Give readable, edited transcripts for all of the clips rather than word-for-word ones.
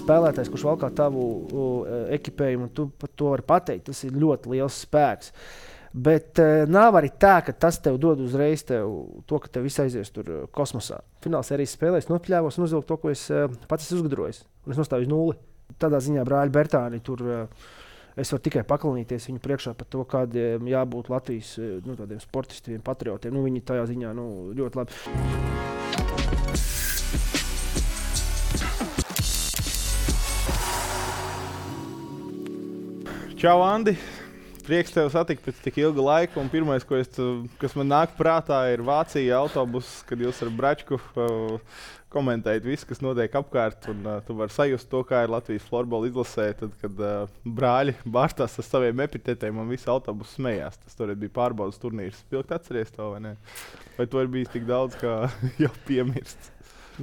spēlētājs, kurš valkā tavu ekipējumu, un tu par to vari pateikt. Tas ir ļoti liels spēks. Bet nav arī tā, ka tas tev dod uzreiz to, ka tev viss aizies tur kosmosā. Finālsērijas spēlēs nopļāvos un uzvilku to, ko es pats esmu uzgudrojis. Un es nostāju uz nulli. Tādā ziņā brāļi Bertāni tur es varu tikai paklanīties viņu priekšā par to, kādiem jābūt Latvijas tādiem sportistiem, patriotiem. Viņi tajā ziņā ļoti labi. Čau, Andi! Prieks tev satikt pēc tik ilga laika. Un pirmais, kas man nāk prātā, ir Vācija autobuss, kad jūs ar Bračku komentējat visu, kas notiek apkārt. Un tu vari sajust to, kā ir Latvijas florbola izlasē, tad, kad brāļi bārstās ar saviem epitetiem un visu autobusu smējās. Tas toreiz bija pārbaudas turnīrs. Pilgt atceries to, vai ne? Vai to ir bijis tik daudz, kā jau piemirsts?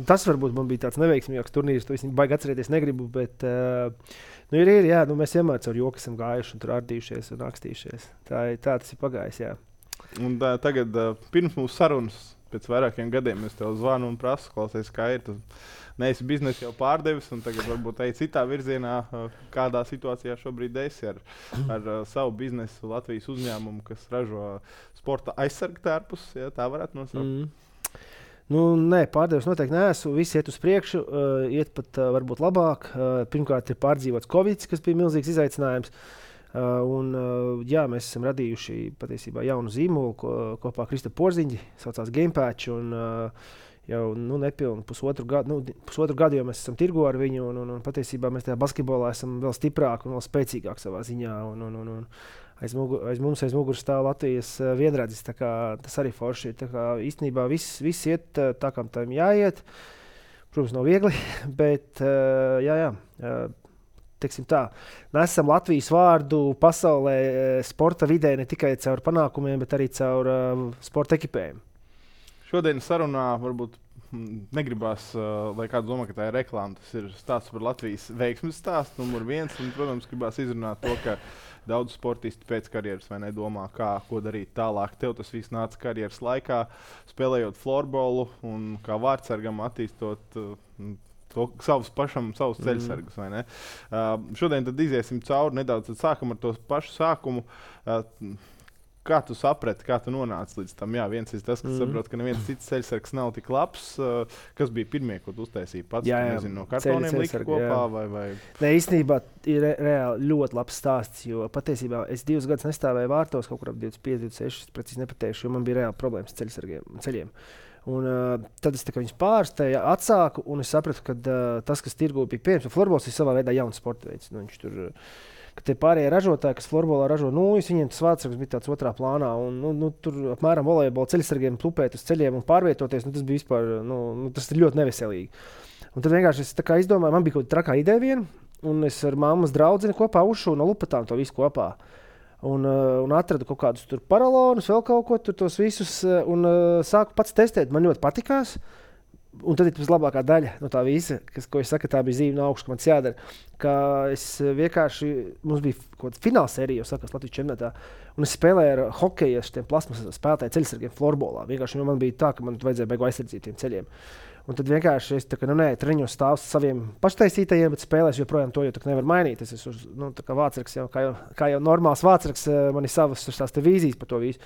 Tas varbūt man bija tāds neveiksmīgāks turnīrs, to es baigi atcerēties negribu, bet mēs vienmēr caur joku esam gājuši un tur ardījušies un rakstījušies. Tā tas ir pagājis, jā. Un tagad pirms mūsu sarunas, pēc vairākiem gadiem, es tev zvanu un prasu, klausies, kā ir. Tu neesi biznesu jau pārdevis un tagad varbūt ej citā virzienā, kādā situācijā šobrīd esi ar savu biznesu Latvijas uzņēmumu, kas ražo sporta aizsargtērpus, ja tā varētu nosaukt. Nē, pārdevis noteikti neesmu. Visi iet uz priekšu, iet pat varbūt labāk. Pirmkārt ir pārdzīvots Covid, kas bija milzīgs izaicinājums. Mēs esam radījuši patiesībā jaunu zīmolu kopā ar Kristu Porziņģi, saucās Gamepatch. Jau nepilnu pusotru gadu jau mēs esam tirgo ar viņu. Un patiesībā mēs tajā basketbolā esam vēl stiprāki un vēl spēcīgāki savā ziņā. Aiz muguras stāv Latvijas vienradzis. Tas arī forši ir. Īstenībā viss iet tā, kā tam jāiet. Protams, nav viegli, bet teiksim tā, nesam Latvijas vārdu pasaulē sporta vidē ne tikai caur panākumiem, bet arī caur sporta ekipējumu. Šodien sarunā varbūt negribās, lai kāds domā, ka tā ir reklāma. Tas ir stāsts par Latvijas veiksmes stāstu, numur 1. Un, protams, gribās izrunāt to, ka daudz sportisti pēc karjeras vai nedomā, ko darīt tālāk. Tev tas viss nāca karjeras laikā, spēlējot florbolu un kā vārdsargam attīstot savus ceļsargus. Vai ne? Šodien tad iziesim cauri nedaudz, tad sākam ar to pašu sākumu. Kā tu saprati, kā tu nonāci līdz tam? Jā, viens ir tas, ka saprot, ka neviens cits ceļsargs nav tik labs. Kas bija pirmie, ko tu uztaisīji pats? Nezinu, no kartoniem lika kopā vai? Nē, īstenībā ir reāli ļoti labs stāsts, jo patiesībā es 2 gadus nestāvēju vārtos, kaut kur ap 25, 26, precīzi nepateikšu, jo man bija reāli problēmas ceļiem. Un tad es viņus pārsteidzu, atsāku, un es sapratu, ka tas, kas tirgū bija pieejams, jo florbols ir savā veidā jauns sporta veids. Viņš tur ka tie pārējie ražotāji, kas florbolā ražo nūjas, viņiem tas vārdsargs bija tāds otrā plānā. Un, tur apmēram volejbola ceļsargiem plupēt uz ceļiem un pārvietoties, tas bija vispār, tas ir ļoti neveselīgi. Un tad vienkārši es izdomāju, man bija kaut kāda trakā ideja viena, un es ar mammas draudzeni kopā uzšuvu no lupatām to visu kopā. Un atradu kaut kādus tur paralonus, vēl kaut ko tur tos visus, un sāku pats testēt. Man ļoti patikās. Un tad ir tas labākā daļa no tā visa, ko es saku, tā bija zīme no augšas, ka man jādara. Ka es vienkārši, mums bija kaut kāda finālsērija, jau sākās Latvijas čempionātā, un es spēlēju ar hokeju, tiem plasmasas spēlētāju ceļsargiem florbolā. Vienkārši man bija tā, ka man vajadzēja beigu aizsardzīt tiem ceļiem. Un tad vienkārši es treņos stāvu saviem paštaisītajiem, bet spēlēs joprojām to, jo nevar mainīt. Es esmu kā vārdsargs, kā jau normāls vārdsargs, man ir savas vīzijas par to visu.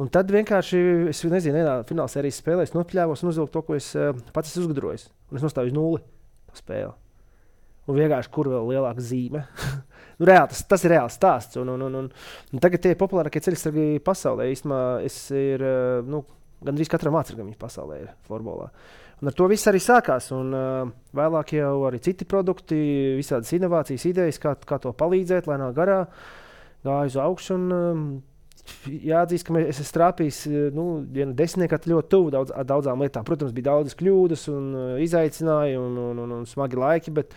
Un tad vienkārši, es nezinu, vienā finālsērijas spēlē es nopļāvos un uzvilku to, ko es pats esmu uzgudrojis. Un es nostāju uz nulli spēli. Un vienkārši, kur vēl lielāka zīme. Reāli, tas ir reāls stāsts. Un tagad tie populārākie ceļsargi pasaulē. Īstenībā gandrīz katram vārdsargam viņa pasaulē ir florbolā. Un ar to viss arī sākās. Un vēlāk jau arī citi produkti, visādas inovācijas, idejas, kā to palīdzēt, lai nav garā. Gāju uz augšu un jāatzīst, ka es esmu strāpījis vienu desmitniekā ļoti tuvu daudzām lietām. Protams, bija daudzas kļūdas un izaicinājumi un smagi laiki, bet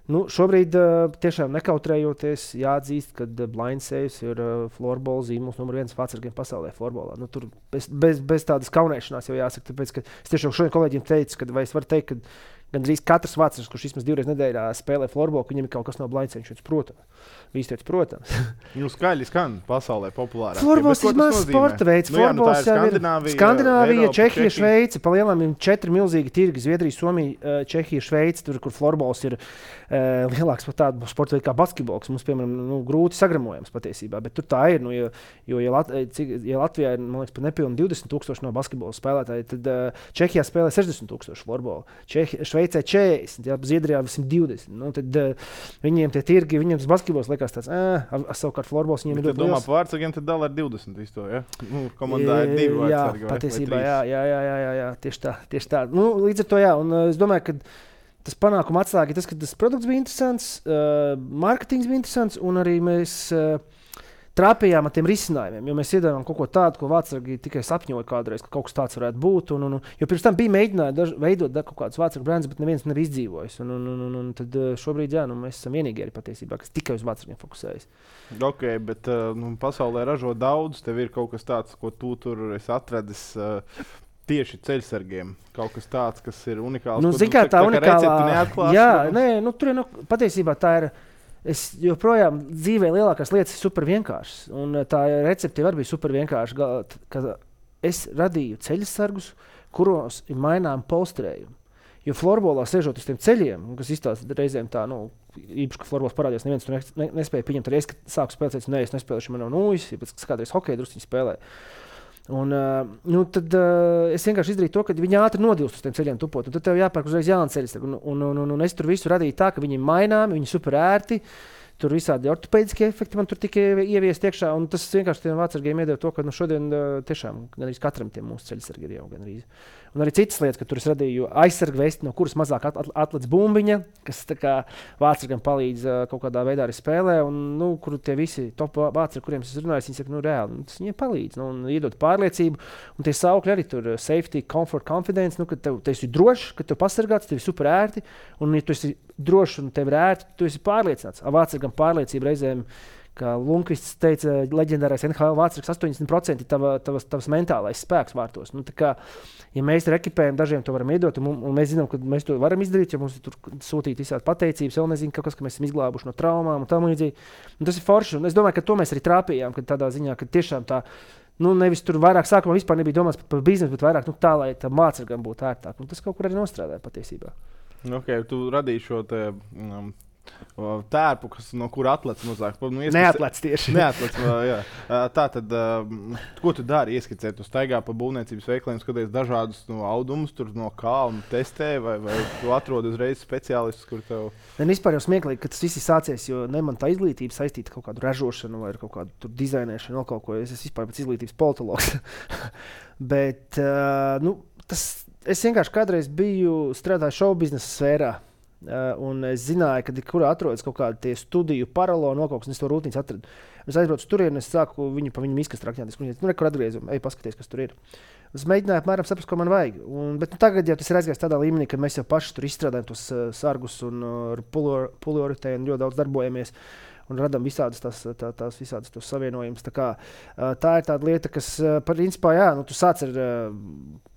šobrīd tiešām nekautrējoties jāatzīst, ka Blind Saves ir florbola zīmols numur 1 vārdsargiem pasaulē florbolā. Tur bez tādas kaunēšanās jau jāsaka, tāpēc, ka es tiešām šodien kolēģiem teicu, vai es varu teikt, Gandrīz katrs vācietis, kurš vismaz 2 reizes nedēļā spēlē florbolu, viņam ir kaut kas no blaiceņš, protams. Skaļi skan pasaulē populārāk. Florbols ir mazs sporta veids. Florbols jau ir Skandināvija, Čehija, Šveice. Palielam ir 4 milzīgi tirgi. Zviedrija, Somija, Čehija, Šveice. Tur, kur florbols ir lielāks par tādu sporta veidu kā basketbols. Mums, piemēram, grūti sagramojams patiesībā. Bet tur tā ir. Ja Latvijā ir, man liekas, pat nepilni 20,000 no basketbola spēlētāji, tad Čehijā spēlē 60,000 florbolu. Šveicē 40, Zviedrijā 120. Tad viņiem tie tirgi, viņiem tas basketbols liekas tāds, savukārt florbols viņiem ir ļoti liels. Domā, par vārdsargiem tad dala ar 20 visu to, ja? Komandā ir 2 vārdsargi vai 3. Patiesībā, jā, tieši tā. Līdz ar to, jā, un es domāju, ka tas panākuma atslēga ir tas, ka tas produkts bija interesants, marketings bija interesants, un arī mēs trāpījām ar tiem risinājumiem, jo mēs iedavām kaut ko tādu, ko vārdsargi tikai sapņoja kādreiz, ka kaut kas tāds varētu būt. Jo pirms tam bija mēģinājumi veidot kaut kādus vārdsargu brandus, bet neviens nebija izdzīvojis. Un tad šobrīd, jā, mēs esam vienīgi arī patiesībā, kas tikai uz vārdsargiem fokusējas. Ok, bet pasaulē ražo daudz, tev ir kaut kas tāds, ko tu tur esi atradis tieši ceļsargiem. Kaut kas tāds, kas ir unikāls. Zikā tā unikālā. Jā, tur patiesībā tā ir. Es joprojām dzīvē lielākās lietas ir super vienkāršas. Un tā recepte arī bija super vienkārša. Es radīju ceļsargus, kuros ir maināma polstrējumi. Jo florbolā sēžot uz tiem ceļiem, kas izstāsta reizēm tā, īpaši, ka florbols parādījās, neviens tur nespēja pieņemt. Arī es sāku spēlēt, es nespēlēšu, man nav nūjas, pēc kādreiz hokeju drusciņu spēlēju. Un, tad es vienkārši izdarīju to, ka viņi ātri nodilst uz tiem ceļiem tupot. Tad tev jāpērk uzreiz jauna ceļa. Un es tur visu radīju tā, ka viņi ir maināmi, viņi ir super ērti. Tur visādi ortopēdiskie efekti man tur tika ieviesti iekšā. Un tas vienkārši tiem vārdsargiem iedeva to, ka šodien tiešām gandrīz katram tiem mūsu ceļsargi ir jau gandrīz. Un arī citas lietas, ka tur es radīju aizsargu vesti, no kuras mazāk atlec bumbiņa, kas vārdsargam palīdz kaut kādā veidā arī spēlē. Un, kur tie visi top vārdsargi, kuriem es runāju, viņi saka, reāli, tas viņiem palīdz. Un iedod pārliecību. Un tie saukļi arī tur safety, comfort, confidence, ka tev esi drošs, ka tev pasargāts, tev ir super ērti. Un, ja tu esi drošs un tev ir ērti, tu esi pārliecināts. Vārdsargam pārliecība reizēm, kā Lundqvists teica, leģendārais NHL vārdsargs, 80% ir tavs mentālais spēks vārtos. Ja mēs rekipējam, dažiem to varam iedot, un mēs zinām, ka mēs to varam izdarīt, jo mums ir tur sūtīt visādi pateicības, vēl nezinu, kaut kas, ka mēs esam izglābuši no traumām un tam līdzīgi. Tas ir forši, un es domāju, ka to mēs arī trāpījām, ka tādā ziņā, ka tiešām tā, nevis tur vairāk sākumā vispār nebija domāts par biznesu, bet vairāk tā, lai tam vārdsargam būtu ērtāk. Un tas kaut kur arī nostrādāja patiesībā. Ok, tu radīji šo te tērpu, no kura atlec mazāk. Neatlec tieši. Neatlec, jā. Tā tad, ko tu dari? Ieskicē, tu staigā pa būvniecības veikaliem, skaties dažādus audumus, tur no kalna testē, vai tu atrodi uzreiz speciālistus, kur tev... Vispār jau smieklīgi, ka tas viss ir sācies, jo ne man tā izglītība saistīta kaut kādu ražošanu vai kaut kādu tur dizainēšanu, vēl kaut ko. Es vispār pēc izglītības politologs. Bet, es vienkārši kādreiz strādāju šovbiznesa sfērā. Un es zināju, ka kurā atrodas kaut kādi studiju paralēli nokauks, un es to rūtīņus atradu. Es aizbraucu tur, un es sāku viņu izkast rakņāties. Kur atgriezumu, ej paskaties, kas tur ir. Es mēģināju apmēram saprast, ko man vajag. Bet tagad jau tas ir aizgājis tādā līmenī, ka mēs jau paši tur izstrādājam tos sargus un ar pulveritēju un ļoti daudz darbojamies. Un radām visādas visādas tos savienojumus. Tā ir tāda lieta, kas, principā, jā, tu sāc ar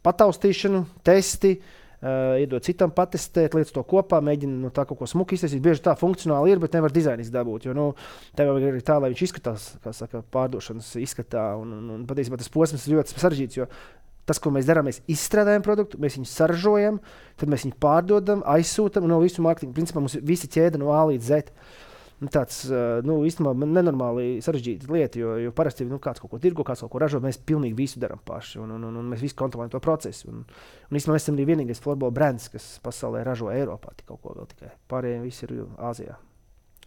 pataustīšanu, testi, iedod citam patestēt, lietas to kopā, mēģina no tā kaut ko smuki iztaisīt. Bieži tā funkcionāli ir, bet nevar dizainu izdabūt, jo tev ir arī tā, lai viņš izskatās, kā saka, pārdošanas izskatā. Un patiesībā tas posms ir ļoti sarežģīts, jo tas, ko mēs darām, mēs izstrādājam produktu, mēs viņu saražojam, tad mēs viņu pārdodam, aizsūtam, un no visu mārketingu principā mums ir visa ķēde no A līdz Z. Tāds īstenībā nenormāli sarežģīta lieta, jo parasti kāds kaut ko tirgo, kāds kaut ko ražo, mēs pilnīgi visu darām paši, un mēs visi kontrolējam to procesu. Un īstenībā mēs esam arī vienīgais florbola brands, kas pasaulē ražo Eiropā kaut ko vēl tikai. Pārējiem visi ir Āzijā.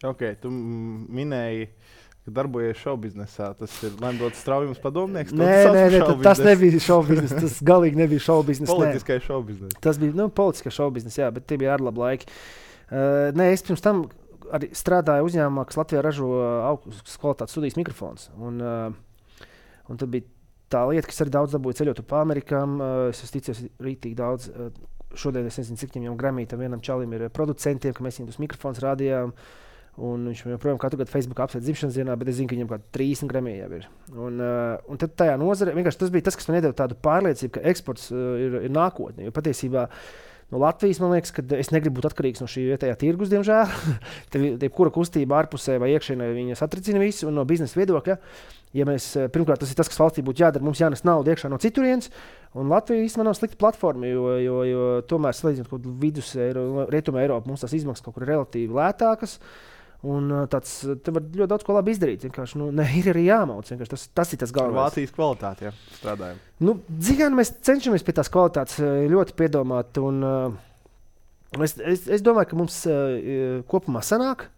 Ok, tu minēji, ka darbojies šovbiznesā. Tas ir Lemdots Straujums padomnieks? Nē, tas nebija šovbiznes, tas galīgi nebija šovbiznes. Politiskais šovbiznes. Tas bija politiskais šovbiznes, jā, bet tie bija ārlabi laiki. Es pirms tam arī strādāju uzņēmumā, kas Latvijā ražo augstas kvalitātes studijas mikrofons. Un tad bija tā lieta, kas arī daudz dabūja ceļot pa Amerikām. Es ticos rītīgi daudz. Šodien es nezinu, cik viņam Grammy-tam vienam čalim ir producentiem, ka mēs viņam tos mikrofons rādījām. Un viņš joprojām katru gadu Facebookā apsveic dzimšanas dienā, bet es zinu, ka viņam kaut 30 Grammy jau ir. Un tad tajā nozare, vienkārši tas bija tas, kas man iedeva tādu pārliecību, ka eksports ir nākotne. Jo patiesībā no Latvijas, man liekas, ka es negribu būt atkarīgs no šī vietējā tirgus, diemžēl. Te kura kustība ārpusē vai iekšienē viņas atricina visu, un no biznesa viedokļa, ja mēs, pirmkārt, tas ir tas, kas valstī būtu jādara, mums jānes naudu iekšā no citurienes, un Latvija īstenībā nav slikta platforma, jo tomēr, salīdzinot kaut vidus Rietuma Eiropa, mums tās izmaksas kaut kur relatīvi lētākas, un te var ļoti daudz ko labi izdarīt. Vienkārši, ir arī jāmauc. Tas ir tas galvenais. Vācijas kvalitāte, jā, strādājam. Dzigan mēs cenšamies pie tās kvalitātes ļoti piedomāt, un es domāju, ka mums kopumā sanāk,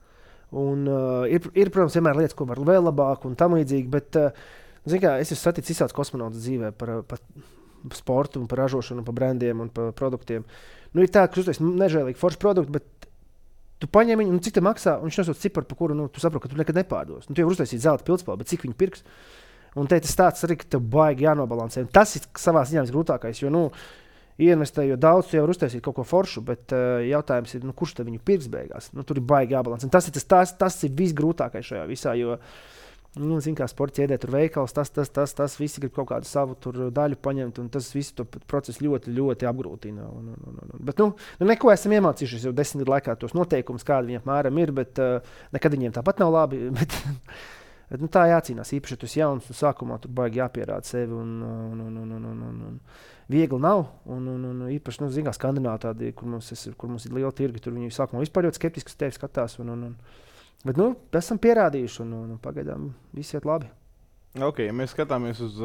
un ir, protams, vienmēr lietas, ko var vēl labāk un tam līdzīgi, bet, es esmu saticis izsauc kosmonautas dzīvē par sportu un par ražošanu, par brandiem un par produktiem. Ir tā, ka tas ir nežēlīgi forši produkti, bet tu paņem viņu, cik te maksā, un viņš nosauc ciparu, par kuru tu saproti, ka tu nekad nepārdos. Tu jau uztaisīji zelta pildspalvu, bet cik viņu pirks? Un te tas tāds arī, ka tev baigi jānobalansē. Un tas ir savā ziņā visgrūtākais, jo, ieinvestējot daudz, tu jau uztaisīji kaut ko foršu, bet jautājums ir, kurš te viņu pirks beigās? Tur ir baigi jābalansē. Tas ir visgrūtākais šajā visā, jo, kā sporta ķēdē, tur veikals, tas visi grib kaut kādu savu daļu paņemt, un tas visu to procesu ļoti, ļoti apgrūtina. Bet, neko esam iemācījušies jau 10 gadu laikā tos noteikumus, kādi viņiem apmēram ir, bet nekad viņiem tāpat nav labi. Bet tā jācīnās, īpaši, ja tu esi jauns, un sākumā tur baigi jāpierāda sevi, un viegli nav. Un īpaši, Skandināvi tādi, kur mums ir liela tirgi, tur viņi sākumā vispār ļoti skeptiski uz tevi skatās. Bet esam pierādījuši, un pagaidām viss iet labi. Okay, mēs skatāmies uz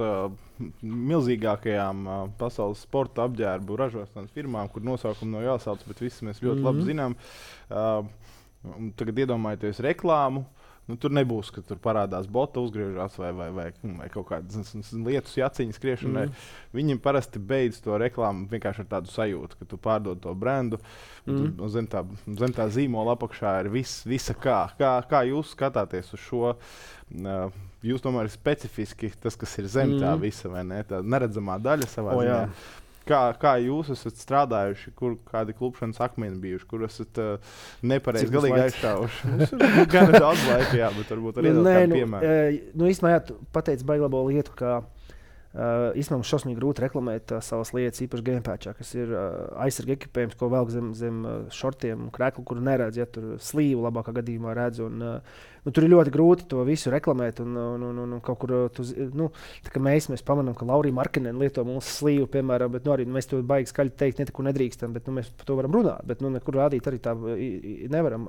milzīgākajām pasaules sporta apģērbu ražošanas firmām, kur nosaukumi nav jāsauc, bet visi mēs ļoti labi zinām. Tagad iedomājieties reklāmu. Tur nebūs, ka tur parādās bota, uzgriežās vai kaut kādas lietas, jaciņas skriešanai. Viņiem parasti beidz to reklāmu vienkārši ar tādu sajūtu, ka tu pārdod to brendu. Zem tā zīmola apakšā ir visa kā. Kā jūs skatāties uz šo? Jūs tomēr ir specifiski tas, kas ir zem tā visa, vai ne? Tā neredzamā daļa savā ziņā. Kā jūs esat strādājuši, kādi klupšanas akmeni bijuši, kur esat nepareizi galīgi aizstāvuši? Gan daudz laika, jā, bet varbūt arī kādu piemēru. Īstenībā, jā, tu pateici baigi labo lietu, ka īstenībā mums šausmīgi grūti reklamēt savas lietas, īpaši gamepatchā, kas ir aizsarga ekipējums, ko velk zem šortiem un krēklu, kuru neredz, ja tur slīvu labākā gadījumā redz. Tur ir ļoti grūti to visu reklamēt. Un kaut kur, tā kā mēs pamanām, ka Laurija Markinen lieto mūsu slīvu, piemēram, bet arī mēs to baigi skaļi teikt, neko nedrīkstam, bet mēs par to varam runāt. Bet nekur rādīt arī tā nevaram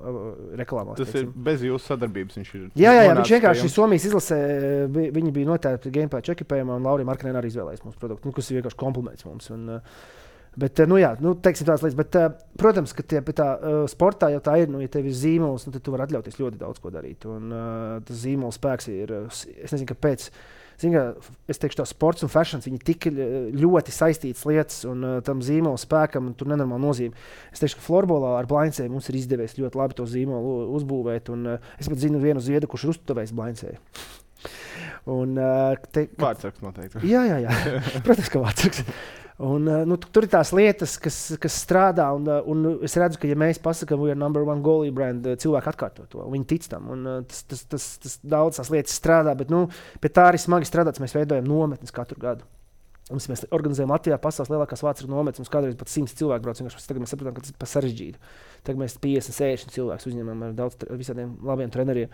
reklāmās. Tas ir bez jūsu sadarbības. Viņš ir. Jā, viņš vienkārši Somijas izlasē, viņi bija noteikti gamepatch ekipējumā, un Laurija Markinen arī izvēlējās mūsu produktu, kas ir vienkārši kompliments mums. Bet, teiksim tādas lietas, bet, protams, ka pie tā sportā jau tā ir, ja tev ir zīmols, tad tu vari atļauties ļoti daudz ko darīt. Un tas zīmols spēks ir, es nezinu, kāpēc, es teikšu tā, sports un fashions, viņi tik ļoti saistītas lietas, un tam zīmola spēkam tur nenormāli nozīme. Es teikšu, ka florbolā ar Blainsēju mums ir izdevies ļoti labi to zīmolu uzbūvēt, un es pat zinu vienu ziedu, kurš ir uztuvējis Blainsēju. Vārdsargs noteikti. Jā. Protams, ka vārdsargs. Tur ir tās lietas, kas strādā, un es redzu, ka, ja mēs pasakām, we are number one goalie brand, cilvēki atkārto to, viņi tic tam, un tas daudz tās lietas strādā, bet, pie tā arī smagi strādāts, mēs veidojam nometnes katru gadu. Mēs organizējam Latvijā pasaules lielākās vācu nometnes, mums kādreiz pat 100 cilvēku brauc, tagad mēs saprotam, ka tas ir par sarežģītu. Tagad mēs 50-60 cilvēkus uzņemam ar daudz visādiem labiem treneriem.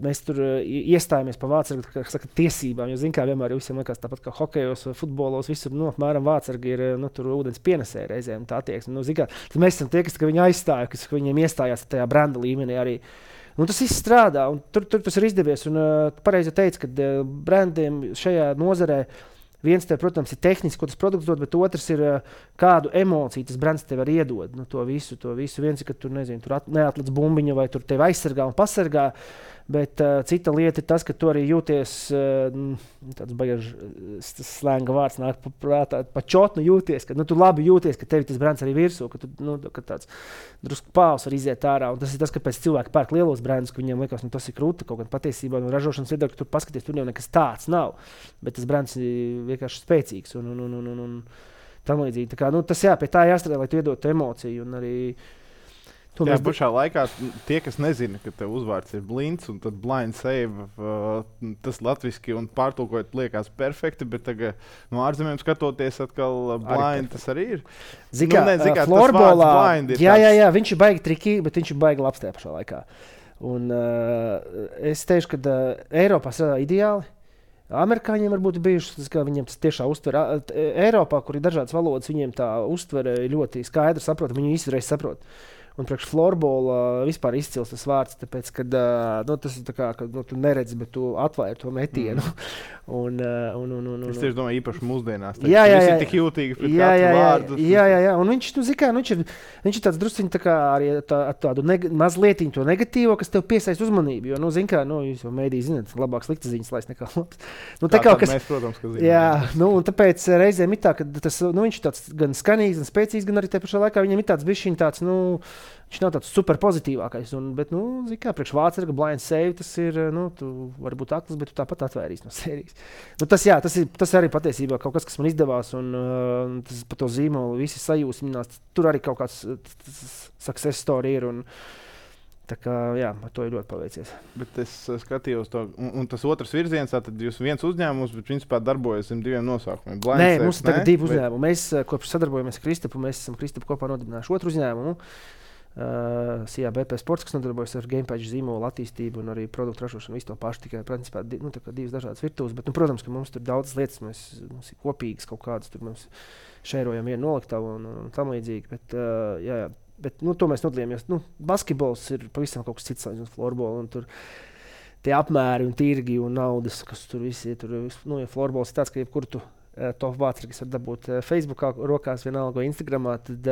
Mēs tur iestājāmies par vācargu, kā saka, tiesībām, jo, kā vienmēr visiem liekas tāpat kā hokejos, futbolos, visur, apmēram vācargi ir, tur ūdens pienesēji reizēm tā attieksme. Tad mēs esam tie, kas viņu aizstāja, kas viņiem iestājās tajā branda līmenī arī. Tas viss strādā, un tur tas ir izdevies, un pareizi teica, ka brandiem šajā nozarē viens tev, protams, ir tehniski, ko tas produkts dod, bet otrs ir kādu emociju tas brands tev var iedod. To visu. Viens ir, ka tur neatlec bumbiņu vai tur tevi aizsargā un pasargā, bet cita lieta ir tas, ka tu arī jūties, tāds baigas slēnga vārds nāk prātā, pačotnu jūties, ka tu labi jūties, ka tevi tas brands arī virsū, ka tu ka tāds drusku pāvs var iziet ārā. Un tas ir tas, kāpēc cilvēki pērk lielos brandus, ka viņiem liekas, tas ir krūti, kaut gan patiesībā no ražošanas viedokļa, ka tur paskaties, tur jau nekas tāds nav. Bet tas brands ir vienkārši spēcīgs un tam līdzīgi. Tas pie tā jāstrādā, lai tu iedotu emociju. Un arī Tajā pašā laikā tie, kas nezina, ka tev uzvārds ir blinds un tad blind save, tas latviski un pārtulkojot liekas perfekti, bet tagad no ārzemēm skatoties atkal blind tas arī ir. Zikā, florbolā, jā, viņš ir baigi triki, bet viņš ir baigi labs tajā pašā laikā. Un es teikšu, ka Eiropā strādā ideāli. Amerikāņiem varbūt bijuši, ka viņiem tas tiešā uztver. Eiropā, kur ir dažādas valodas, viņiem tā uztvere ļoti skaidri saprot, viņi izreiz saprot. Un priekš florbola vispār izcils tas vārds, tāpēc, ka tas ir tā kā, ka tu neredzi, bet tu atvēri to metienu. Es tieši domāju, īpaši mūsdienās. Jā, visi ir tik jūtīgi pret katru vārdu. Jā. Un viņš, viņš ir tāds drusciņ tā kā arī tādu mazliet to negatīvo, kas tev piesaist uzmanību. Jo, jūs jau mēdī zināt, labāk sliktas ziņas laist nekā labs. Mēs, protams, ka zinām. Jā, un tāpēc reizēm ir tā, ka viņš ir tāds gan skanīgs, gan spēcīgs, gan arī tajā pašā laikā viņam ir tāds bišķiņ tāds, viņš nav tāds super pozitīvākais. Bet, priekš vācerga blind save, tas ir, tu vari būt akls, bet tu tāpat atvērīs no sērijas. Tas arī patiesībā kaut kas man izdevās, un tas par to zīmolu visi sajūsminās. Tur arī kaut kāds success story ir, un tā kā, jā, ar to ir ļoti paveicies. Bet es skatījos to, un tas otrs virziens, tad jūs viens uzņēmums, bet principā darbojas zem diviem nosaukumiem. Nē, mums tagad divi uzņēmumi. Mēs kopš sadarbojamies ar Kristapu, mēs esam Kristapu kopā nodibinājuši otru uzņēmumu. CABP Sports, kas nodarbojas ar gamepage zīmolu attīstību un arī produktu ražošanu, visu to pašu, tikai principā divas dažādas virtuves, bet, protams, ka mums tur daudzas lietas, mums ir kopīgas kaut kādas, tur mēs šērojam vienu noliktavu un tam līdzīgi, bet to mēs nodalījāmies. Basketbols ir pavisam kaut kas cits, un florbola, un tur tie apmēri un tirgi un naudas, kas tur visi ir, ja florbols ir tāds, ka jebkur tu top vāceri, kas var dabūt Facebookā rokās vienalga vai Instagramā, tad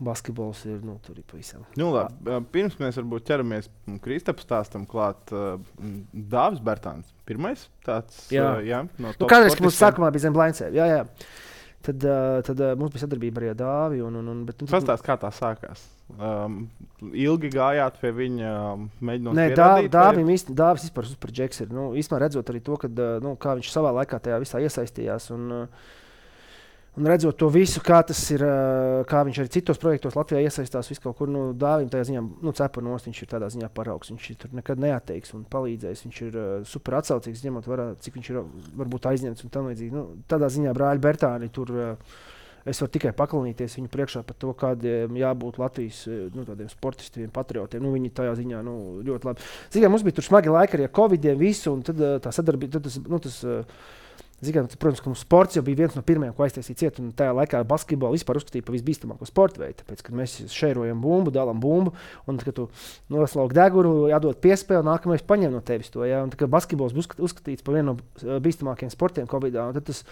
basketbols ir, tur ir pavisam. Labi, pirms mēs varbūt ķeramies Kristapu stāstam klāt, Dāvis Bertāns, pirmais tāds, no top kādreiz, ka mums sākumā bija zem blind save, jā. Tad mums bija sadarbība arī ar Dāvi. Pastāst, kā tā sākās? Ilgi gājāt pie viņa, mēģinot pierādīt? Nē, Dāvis vispār super džeks ir. Īstenībā redzot arī to, kā viņš savā laikā tajā visā iesaistījās. Un redzot to visu, kā tas ir, kā viņš arī citos projektos Latvijā iesaistās, visu kaut kur, Dāvim tajā ziņā, cepa nost, viņš ir tādā ziņā paraugs, viņš tur nekad neatteiks un palīdzēs, viņš ir super atsaucīgs, ņemot vērā, cik viņš ir varbūt aizņemts un tam līdzīgi. Tādā ziņā brāļi Bertāni tur, es varu tikai paklanīties viņu priekšā par to, kādiem jābūt Latvijas tādiem sportistiem, patriotiem. Viņi tajā ziņā ļoti labi. Zinām, mums bija tur smagi laiki arī ar Covidiem visu, un tad tā sadarbība, protams, ka mums sports jau bija viens no pirmajiem, ko aiztaisīja ciet, un tajā laikā basketbolu vispār uzskatīja par visbīstamāko sporta veidu, tāpēc, kad mēs šērojam bumbu, dalām bumbu, un kad tu noslauki degunu, jādod piespēli, nākamais paņem no tevis to, un tā kā basketbols bija uzskatīts par vienu no bīstamākajiem sportiem Covidā, un tad tas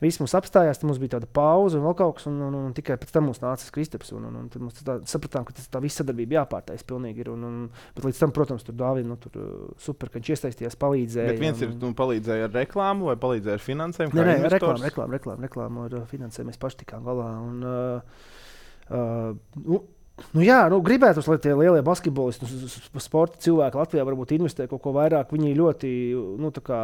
viss mums apstājās, tad mums bija tāda pauze un vēl kaut kas, un tikai pēc tam mums nāca Kristaps, un tad mums sapratām, ka tā visa sadarbība jāpārtais pilnīgi ir, bet līdz tam, protams, tur Dāvim, super, ka viņš iesaistījās, palīdzēja. Bet viens ir, palīdzēja ar reklāmu vai palīdzēja ar finansējumu? Nē, reklāmu ar finansējumu mēs paši tikām galā, gribētos, lai tie lielie basketbolisti, sporta cilvēki Latvijā varbūt investē kaut ko vairāk. Viņi ļoti tā kā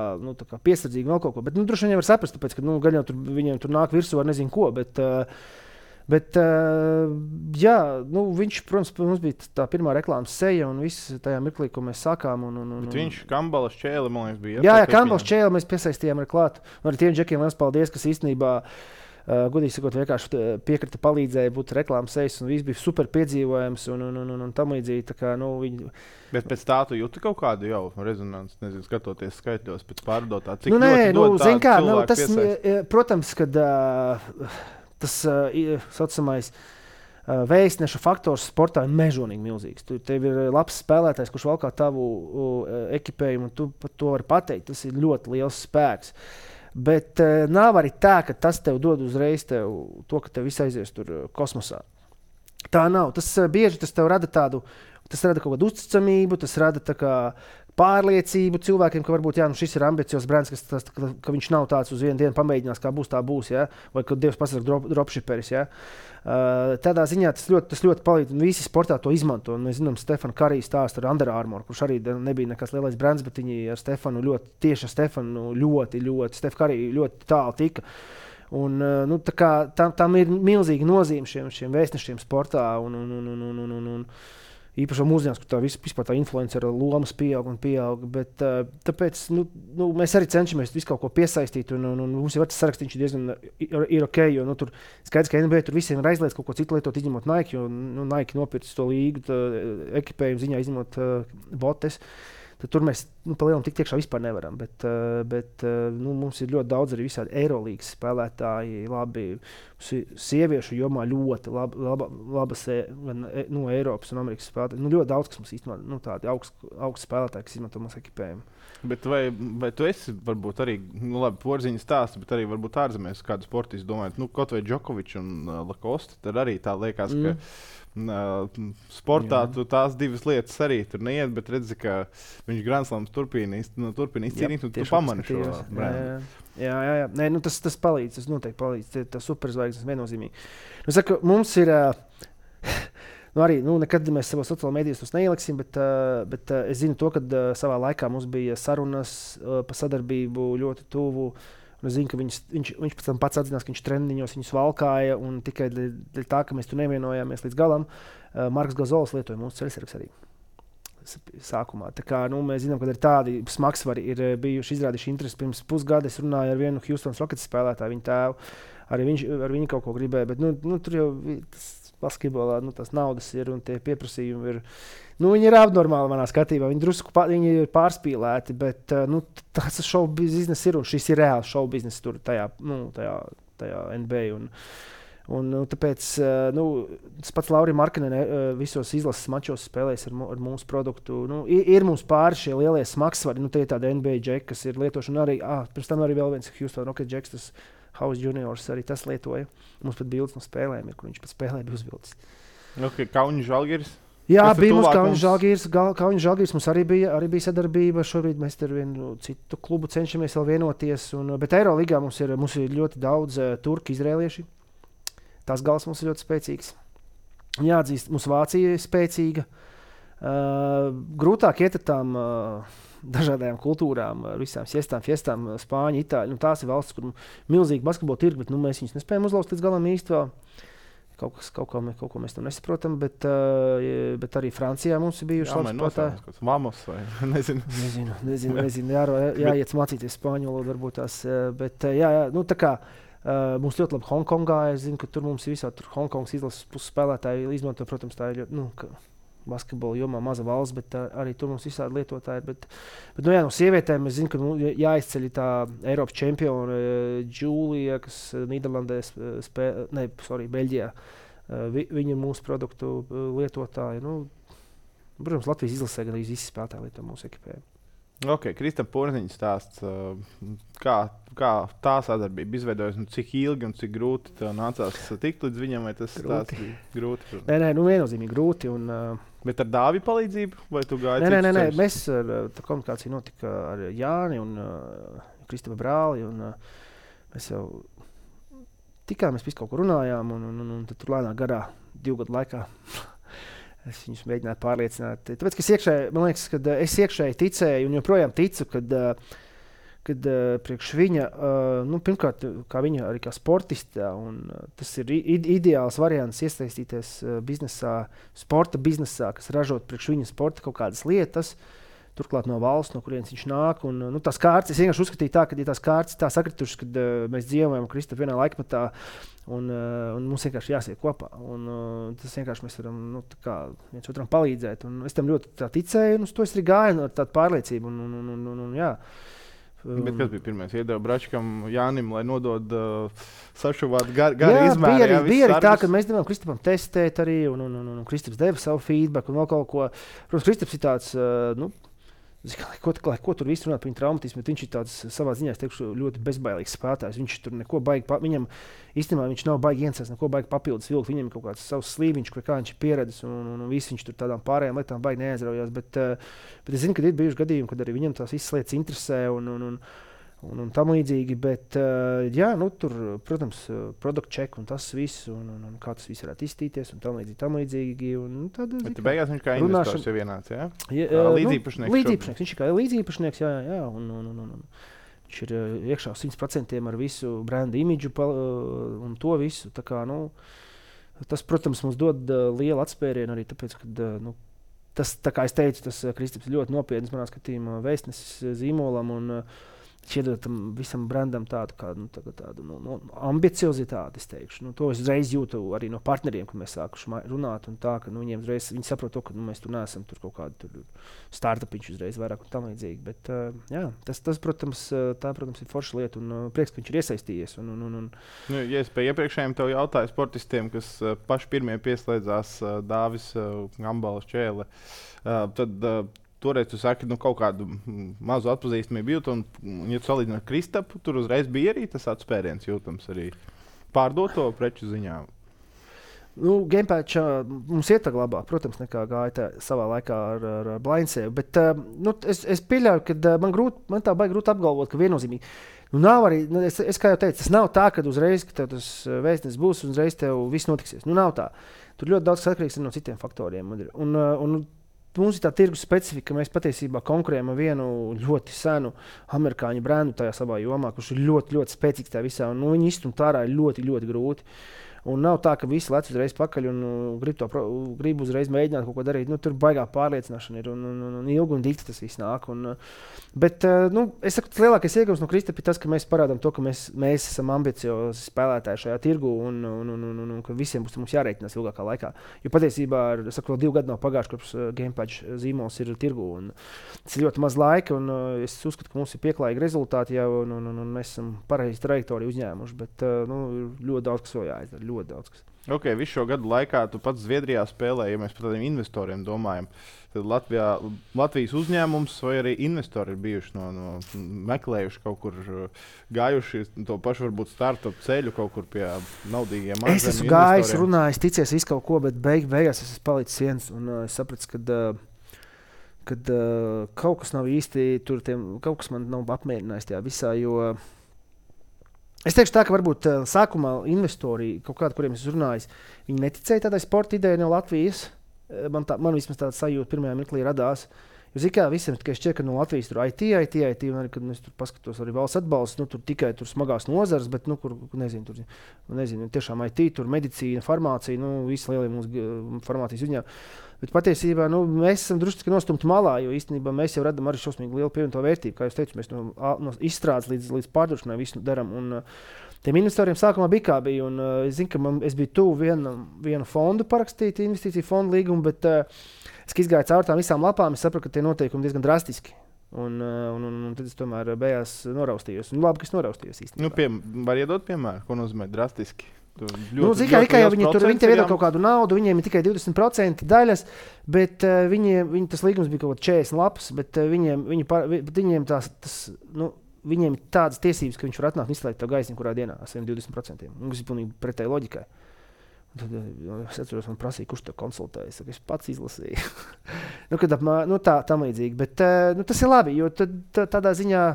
piesardzīgi vēl kaut ko. Bet droši vien var saprast, tāpēc, ka gan jau viņiem tur nāk virsū ar nezinu ko. Bet viņš, protams, mums bija tā pirmā reklāmas seja un viss tajā mirklī, ko mēs sākām. Bet viņš Kambalas Čēli, man liekas, bija. Jā, Kambalas Čēli mēs piesaistījām ar klāt. Un arī tiem džekiem liels paldies, kas īstenībā godīgi sakot, vienkārši piekrita, palīdzēja būt reklāmas sejas, un viss bija super piedzīvojams un tam līdzīgi. Bet pēc tā tu jūti kaut kādu jau rezonanci, nezinu, skatoties skaitļos pēc pārdotā, cik protams, kad tas saucamais vēstneša faktors sportā ir mežonīgi milzīgs. Tev ir labs spēlētājs, kurš valkā tavu ekipējumu, un tu par to vari pateikt. Tas ir ļoti liels spēks. Bet nav arī tā, ka tas tev dod uzreiz to, ka tev viss aizies tur kosmosā. Tā nav. Tas bieži tas tev rada tas rada kaut kādu uzticamību, tas rada tā kā pārliecību cilvēkiem, ka varbūt šis ir ambiciozs brands, ka viņš nav tāds uz vienu dienu pamēģinās, kā būs, tā būs, ja? Vai kad Dievs pasaka dropshiperis. Ja? Tādā ziņā tas ļoti palīdz, un visi sportā to izmanto. Un mēs zinām, Stefana Karija stāsta ar Under Armour, kurš arī nebija nekas lielais brands, bet viņi ar Stefanu ļoti Stef Karija ļoti tālu tika. Un, nu, tam ir milzīga nozīme šiem vēstnešiem sportā. Un īpaši mūsdienās, kur vispār tā influencera lomas pieaug. Bet, tāpēc mēs arī cenšamies visu kaut ko piesaistīt. Un mums jau tas sarakstīns diezgan ir ok. Jo tur skaidrs, ka NBA tur visiem ir aizliegts kaut ko citu lietot, izņemot Nike. Jo Nike nopircis to līgu ekipējumu ziņā, izņemot botes. Tad tur mēs pa lielam tik tiekšā vispār nevaram. Bet mums ir ļoti daudz arī visādi Eirolīgas spēlētāji, labi sieviešu jomā ļoti labas Eiropas un Amerikas spēlētāji. Ļoti daudz, kas mums īstenībā tādi augsti spēlētāji, kas izmanto mūsu ekipējumu. Bet vai tu esi varbūt arī, labi, porziņas stāsts, bet arī varbūt ārzemēs kādu sportistu domājot, kaut vai Džokovičs un Lakosta, tad arī tā liekas, ka sportā tās divas lietas arī tur neiet, bet redzi, ka viņš Grand Slams turpina izcīnīt, un tu pamani šo brendu. Jā. Nē, tas palīdz, tas noteikti palīdz. Tas superzvaigznes viennozīmīgi. Saku, mums ir... arī nekad mēs savos sociālajos mēdījos tos neieliksim, bet es zinu to, ka savā laikā mums bija sarunas par sadarbību ļoti tuvu. Es zinu, ka viņš pēc tam pats atzinās, ka viņš treniņos viņus valkāja, un tikai dēļ tā, ka mēs tur nevienojāmies līdz galam, Marks Gazols lietoja mūsu ceļsargus arī sākumā. Tā kā, mēs zinām, ka ir tādi smagsvari ir bijuši izrādījuši interesi. Pirms pusgada es runāju ar vienu Houston Rockets spēlētāju, viņa tēvu, arī viņš ar viņu kaut ko gribēja, bet tur jau basketbolā tās naudas ir un tie pieprasījumi ir. Viņi ir abnormāli manā skatījumā. Viņi ir pārspīlēti, bet tas šow bizness ir un šis ir reāls šow bizness tur tajā NBA. Un tāpēc tas pats Lauri Markkanen visos izlases mačos spēlēs ar mūsu produktu. Ir mums pāri šie lielie smagsvari. Tie ir tādi NBA džeki, kas ir lietošana arī. Pirms tam arī vēl viens Houston Rockets džeks, tas House Juniors arī tas lietoja. Mums pat bildes no spēlēm ir, kur viņš pat spēlē bija uzvilcis. Kaunis Žalgiris? Jā, bija mums Kaunis Žalgiris. Mums arī bija sadarbība. Šobrīd mēs ar vienu citu klubu cenšamies vēl vienoties. Bet Eirolīgā mums ir ļoti daudz turki, izrēlieši. Tās gals mums ir ļoti spēcīgs. Jāatzīst, mums Vācija ir spēcīga. Grūtāk iet ar tām dažādām kultūrām, ar visām fiestām, Spāņi, Itāļi. Tās ir valstis, kur milzīgi basketbola tirgi, bet mēs viņus nespējam uzlauzt līdz galam īsti vēl. Kaut ko mēs tam nesaprotam, bet arī Francijā mums ir bijuši labi spēlētāji. Vamos vai nezinu. Jāiet mācīties spāņu valodu varbūt tās. Bet tā kā mums ļoti labi Hongkongā. Es zinu, ka tur mums ir visādi Hongkongas izlases puses spēlētāji izmanto, protams, tā ir basketbola jomā maza valsts, bet arī tur mums visādi lietotāji ir. Bet no sievietēm es zinu, ka jāizceļ tā Eiropas čempiona Džūlija, kas Nīderlandē Beļģijā. Viņa ir mūsu produktu lietotāja. Protams, Latvijas izlasē gan arī visi spēlētāji lieto mūsu ekipējumu. Ok, Kristap Porziņš stāsts, kā tā sadarbība izveidojas, cik ilgi un cik grūti tev nācās tikt līdz viņam, vai tas stāsts bija grūti? Nē, viennozīmīgi grūti. Bet ar Dāvi palīdzību, vai tu gāji? Nē, mēs tā komunikācija notika ar Jāni un Kristapa brāli, un mēs jau tikāmies, visu kaut ko runājām, un tad tur lēnā garā 2 gadu laikā es viņus mēģināju pārliecināt. Tāpēc, ka es iekšēji ticēju un joprojām ticu, kad priekš viņa, pirmkārt, kā viņa arī kā sportistā, un tas ir ideāls variants iesaistīties sporta biznesā, kas ražot priekš viņa sporta kaut kādas lietas, turklāt no valsts, no kurienes viņš nāk. Tās kārtas, es vienkārši uzskatīju tā, ka ja tās kārtas tā sakritušas, kad mēs dzīvojam Kristap vienā laikmetā, un mums vienkārši jāsiet kopā. Tas vienkārši mēs varam viens otram palīdzēt. Un es tam ļoti ticēju, un uz to es arī gāju ar tādu pārliecību. Jā. Bet kas bija pirmais? Iedeva Bračkam Jānim, lai nodod sašuvāt gari izmēri. Bija arī tā, ka mēs devām Kristapam testēt arī, un Kristaps deva savu feedback un vēl kaut ko. Protams, Kristaps ir tāds, ko tur viss runāt par viņa traumatismu, bet viņš ir tāds savā ziņā, es teikšu, ļoti bezbailīgs spēlētājs. Viņš tur neko baigi, viņam īstenībā viņš nav baigi iensēst, neko baigi papildus vilkt. Viņam ir kaut kāds savs slīviņš, kur kā viņš ir pieredzis, un viss viņš tur tādām pārējām lietām baigi neaizraujās. Bet es zinu, ka ir bijuši gadījumi, kad arī viņam tās visas lietas interesē un tam līdzīgi. Bet, tur, protams, product check un tas viss, un kā tas viss varētu izstīties, un tam līdzīgi. Bet beigās viņš kā investors jau vienāds, jā? Līdzīpašnieks. Viņš ir kā līdzīpašnieks, jā. Viņš ir iekšā 100% ar visu brenda imidžu un to visu. Tā kā, tas, protams, mums dod lielu atspērienu arī tāpēc, ka tas, tā kā es teicu, tas Kristaps ļoti nopietns manā skatījumā vēstnesis zīmolam un iedod tam visam brandam tādu ambiciozitāti, es teikšu. To es uzreiz jūtu arī no partneriem, kad mēs sākuši runāt. Tā, ka, viņiem uzreiz, viņi saprot to, ka mēs tur neesam tur kaut kādu startupiņš uzreiz vairāk un tam līdzīgi. Bet, tas, protams, ir forša lieta un prieks, ka viņš ir iesaistījies. Ja es pie iepriekšējiem tev jautāju sportistiem, kas paši pirmie pieslēdzās Dāvis Gambalas Čēle, tad toreiz tu saki, kaut kādu mazu atpazīstamību jūt, un, ja tu salīdzini ar Kristapu, tur uzreiz bija arī tas atspēriens jūtams arī pārdoto preču ziņā. Gamepatch mums iet labāk, protams, nekā gāja savā laikā ar Blindseju, bet es pieļauju, ka man tā baigi grūti apgalvot, ka viennozīmīgi. Nav arī, es kā jau teicu, tas nav tā, ka uzreiz, ka tev tas vēstnes būs un uzreiz tev viss notiksies. Nav tā. Tur ļoti daudz atkarīgs no citiem faktoriem. Un mums ir tā tirgus specifika, ka mēs patiesībā konkurējam ar vienu ļoti senu amerikāņu brendu tajā savā jomā, kurš ir ļoti, ļoti spēcīgs tajā visā. Viņi izstumt ārā ir ļoti, ļoti grūti. Un nav tā, ka visi lec uzreiz pakaļ un grib uzreiz mēģināt kaut ko darīt. Tur baigā pārliecināšana ir un ilgi un dikti tas viss nāk. Bet es saku, tas lielākais ieguvums no Kristapa ir tas, ka mēs parādām to, ka mēs esam ambiciozi spēlētāji šajā tirgu un ka visiem būs mums jārēķinās ilgākā laikā. Jo patiesībā, vēl 2 gadi nav pagājuši, kopš Gamepatch zīmols ir tirgu. Tas ir ļoti maz laika un es uzskatu, ka mums ir pieklājīgi rezultāti jau un mēs esam pareizi trajektoriju uzņēmuši. Bet ļoti daudz, kas vēl jāizdara. Okay, visu šo gadu laikā tu pats Zviedrijā spēlēji, ja mēs par tādiem investoriem domājam. Tad Latvijas uzņēmums vai arī investori ir bijuši meklējuši kaut kur, gājuši to pašu varbūt startup ceļu kaut kur pie naudīgiem ārzemju investoriem. Es esmu gājis, runājis, ticies visu kaut ko, bet beigās es esmu palicis viens un es sapratu, kad kaut kas nav īsti tur, kaut kas man nav apmierinājis tajā visā, jo es teikšu tā, ka varbūt sākumā investori, kaut kādi, kuriem es runāju, viņi neticēja tādai sporta idejai no Latvijas. Man vismaz tāda sajūta pirmajā mirklī radās. Jo, zikā, visiem tikai šķiet, ka no Latvijas tur IT, un arī, kad mēs tur paskatos arī valsts atbalsts, tur tikai tur smagās nozares, bet, kur, nezinu, tiešām IT, tur medicīna, farmācija, visi lielie mūsu farmācijas uzņēmumi. Bet patiesībā mēs esam drusku nostumti malā, jo īstenībā mēs jau radām arī šausmīgi lielu pievienoto vērtību. Kā jūs teicu, mēs no izstrādes līdz pārdošanai visu darām. Un tiem investoriem sākumā bija kā bija. Un es zinu, ka es biju tuvu vienu fondu parakstīt, investīciju fondu līgumu, bet es izgāju caur tām visām lapām, es sapratu, ka tie noteikumi diezgan drastiski. Un tad es tomēr beigās noraustījos. Un labi, ka es noraustījos īstenībā. Var iedot piemēru, ko nozīmē drastiski? Viņi tev iedod kaut kādu naudu, viņiem ir tikai 20% daļas, bet viņi tas līgums bija kaut kāds 40 lapas, bet viņiem ir tādas tiesības, ka viņš var atnākt un izslēgt to gaismu kurā dienā ar saviem 20%. Tas ir pilnīgi pretēji loģikai. Tad es atceros, man prasīja, kurš to konsultēja. Es pats izlasīju. Tā līdzīgi. Bet tas ir labi, jo tādā ziņā,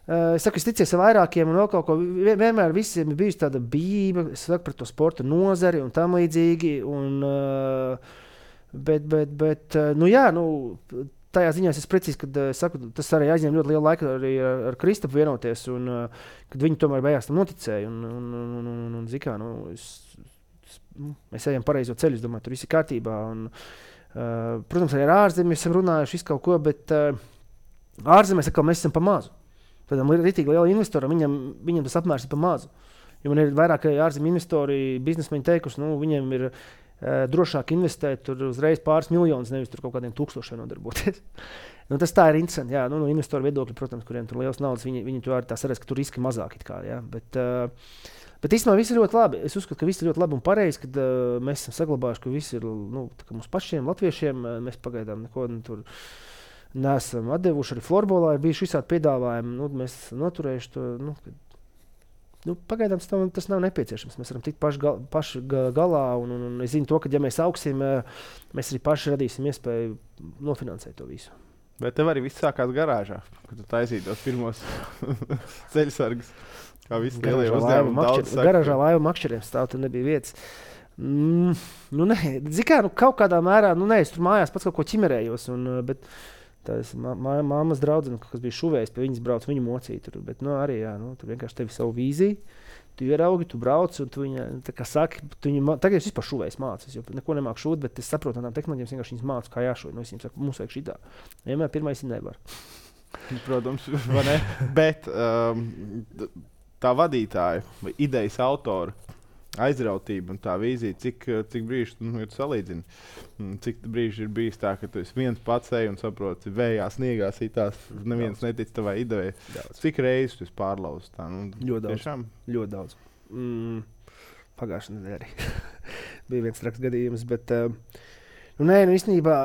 es saku, es ticies ar vairākiem un vēl kaut ko. Vienmēr visiem ir bijusi tāda bība, es saku par to sporta nozari un tam līdzīgi. Bet tajā ziņā es precīzi, kad saku, tas arī aizņem ļoti lielu laiku arī ar Kristapu vienoties, un kad viņi tomēr beigās tam noticēja. Zikā, mēs ejam pareizo ceļu, es domāju, tur viss ir kārtībā. Protams, arī ar ārzemēs esam runājuši visu kaut ko, bet ārzemēs atkal mēs esam pa mazu. Tādam ritīgi liela investoram, viņam tas apmērs ir pa mazu. Jo man ir vairāk ārzemju investori, biznesmeņi teikuši, viņiem ir drošāk investēt tur uzreiz pāris miljonus, nevis tur kaut kādiem 1000 nodarboties. Tas tā ir interesanti. Jā, no investoru viedokļa, protams, kuriem tur liels naudas, viņi to arī tā saredz, ka tur riski mazāk. Jā. Bet īstenībā viss ir ļoti labi. Es uzskatu, ka viss ir ļoti labi un pareizi, kad mēs esam saglabājuši, ka viss ir mums pašiem, latviešiem. Mēs pagaidām neko tur neesam atdevuši. Arī florbolā ir bijuši visādi piedāvājumi. Mēs noturējuši to. Pagaidām tas nav nepieciešams. Mēs varam tikt paši galā. Un es zinu to, ka ja mēs augsim, mēs arī paši radīsim iespēju nofinansēt to visu. Bet tev arī viss sākās garāžā, kad tu taisīji tos pirmos ceļsargus. Kā visi lielie uzņēmumi. Garāžā laivu makšķeriem stāv, tur nebija vietas. Zikā, kaut kādā mērā, es tur mājās pats kaut ko ķimerējos, bet Tas mammas draudzene, kas bija šuvējis, pie viņas brauc, viņu mocīja tur. Bet, arī, jā, tur vienkārši tevi savu vīziju. Tu ieraugi, tu brauc, un tu viņa, tā kā saki, tagad es vispār šuvējas mācos, jo neko nemāku šūt, bet es saprotu, tām tehnoloģijām vienkārši viņas mācu, kā jāšūt. Es viņiem saku, mums vajag šitā. Vienmēr pirmais ir nevar. Protams, vai ne? Bet tā vadītāja vai idejas autora aizrautība un tā vīzija, cik brīži tu salīdzini, cik brīži ir bijis tā, ka tu esi viens pats ej un saproti, vējā, sniegā sitās, neviens netic tavai idejai. Cik reizes tu esi pārlauzis tā? Ļoti daudz. Tiešām? Ļoti daudz. Pagājušajā nedēļā arī bija viens traks gadījums, bet īstenībā,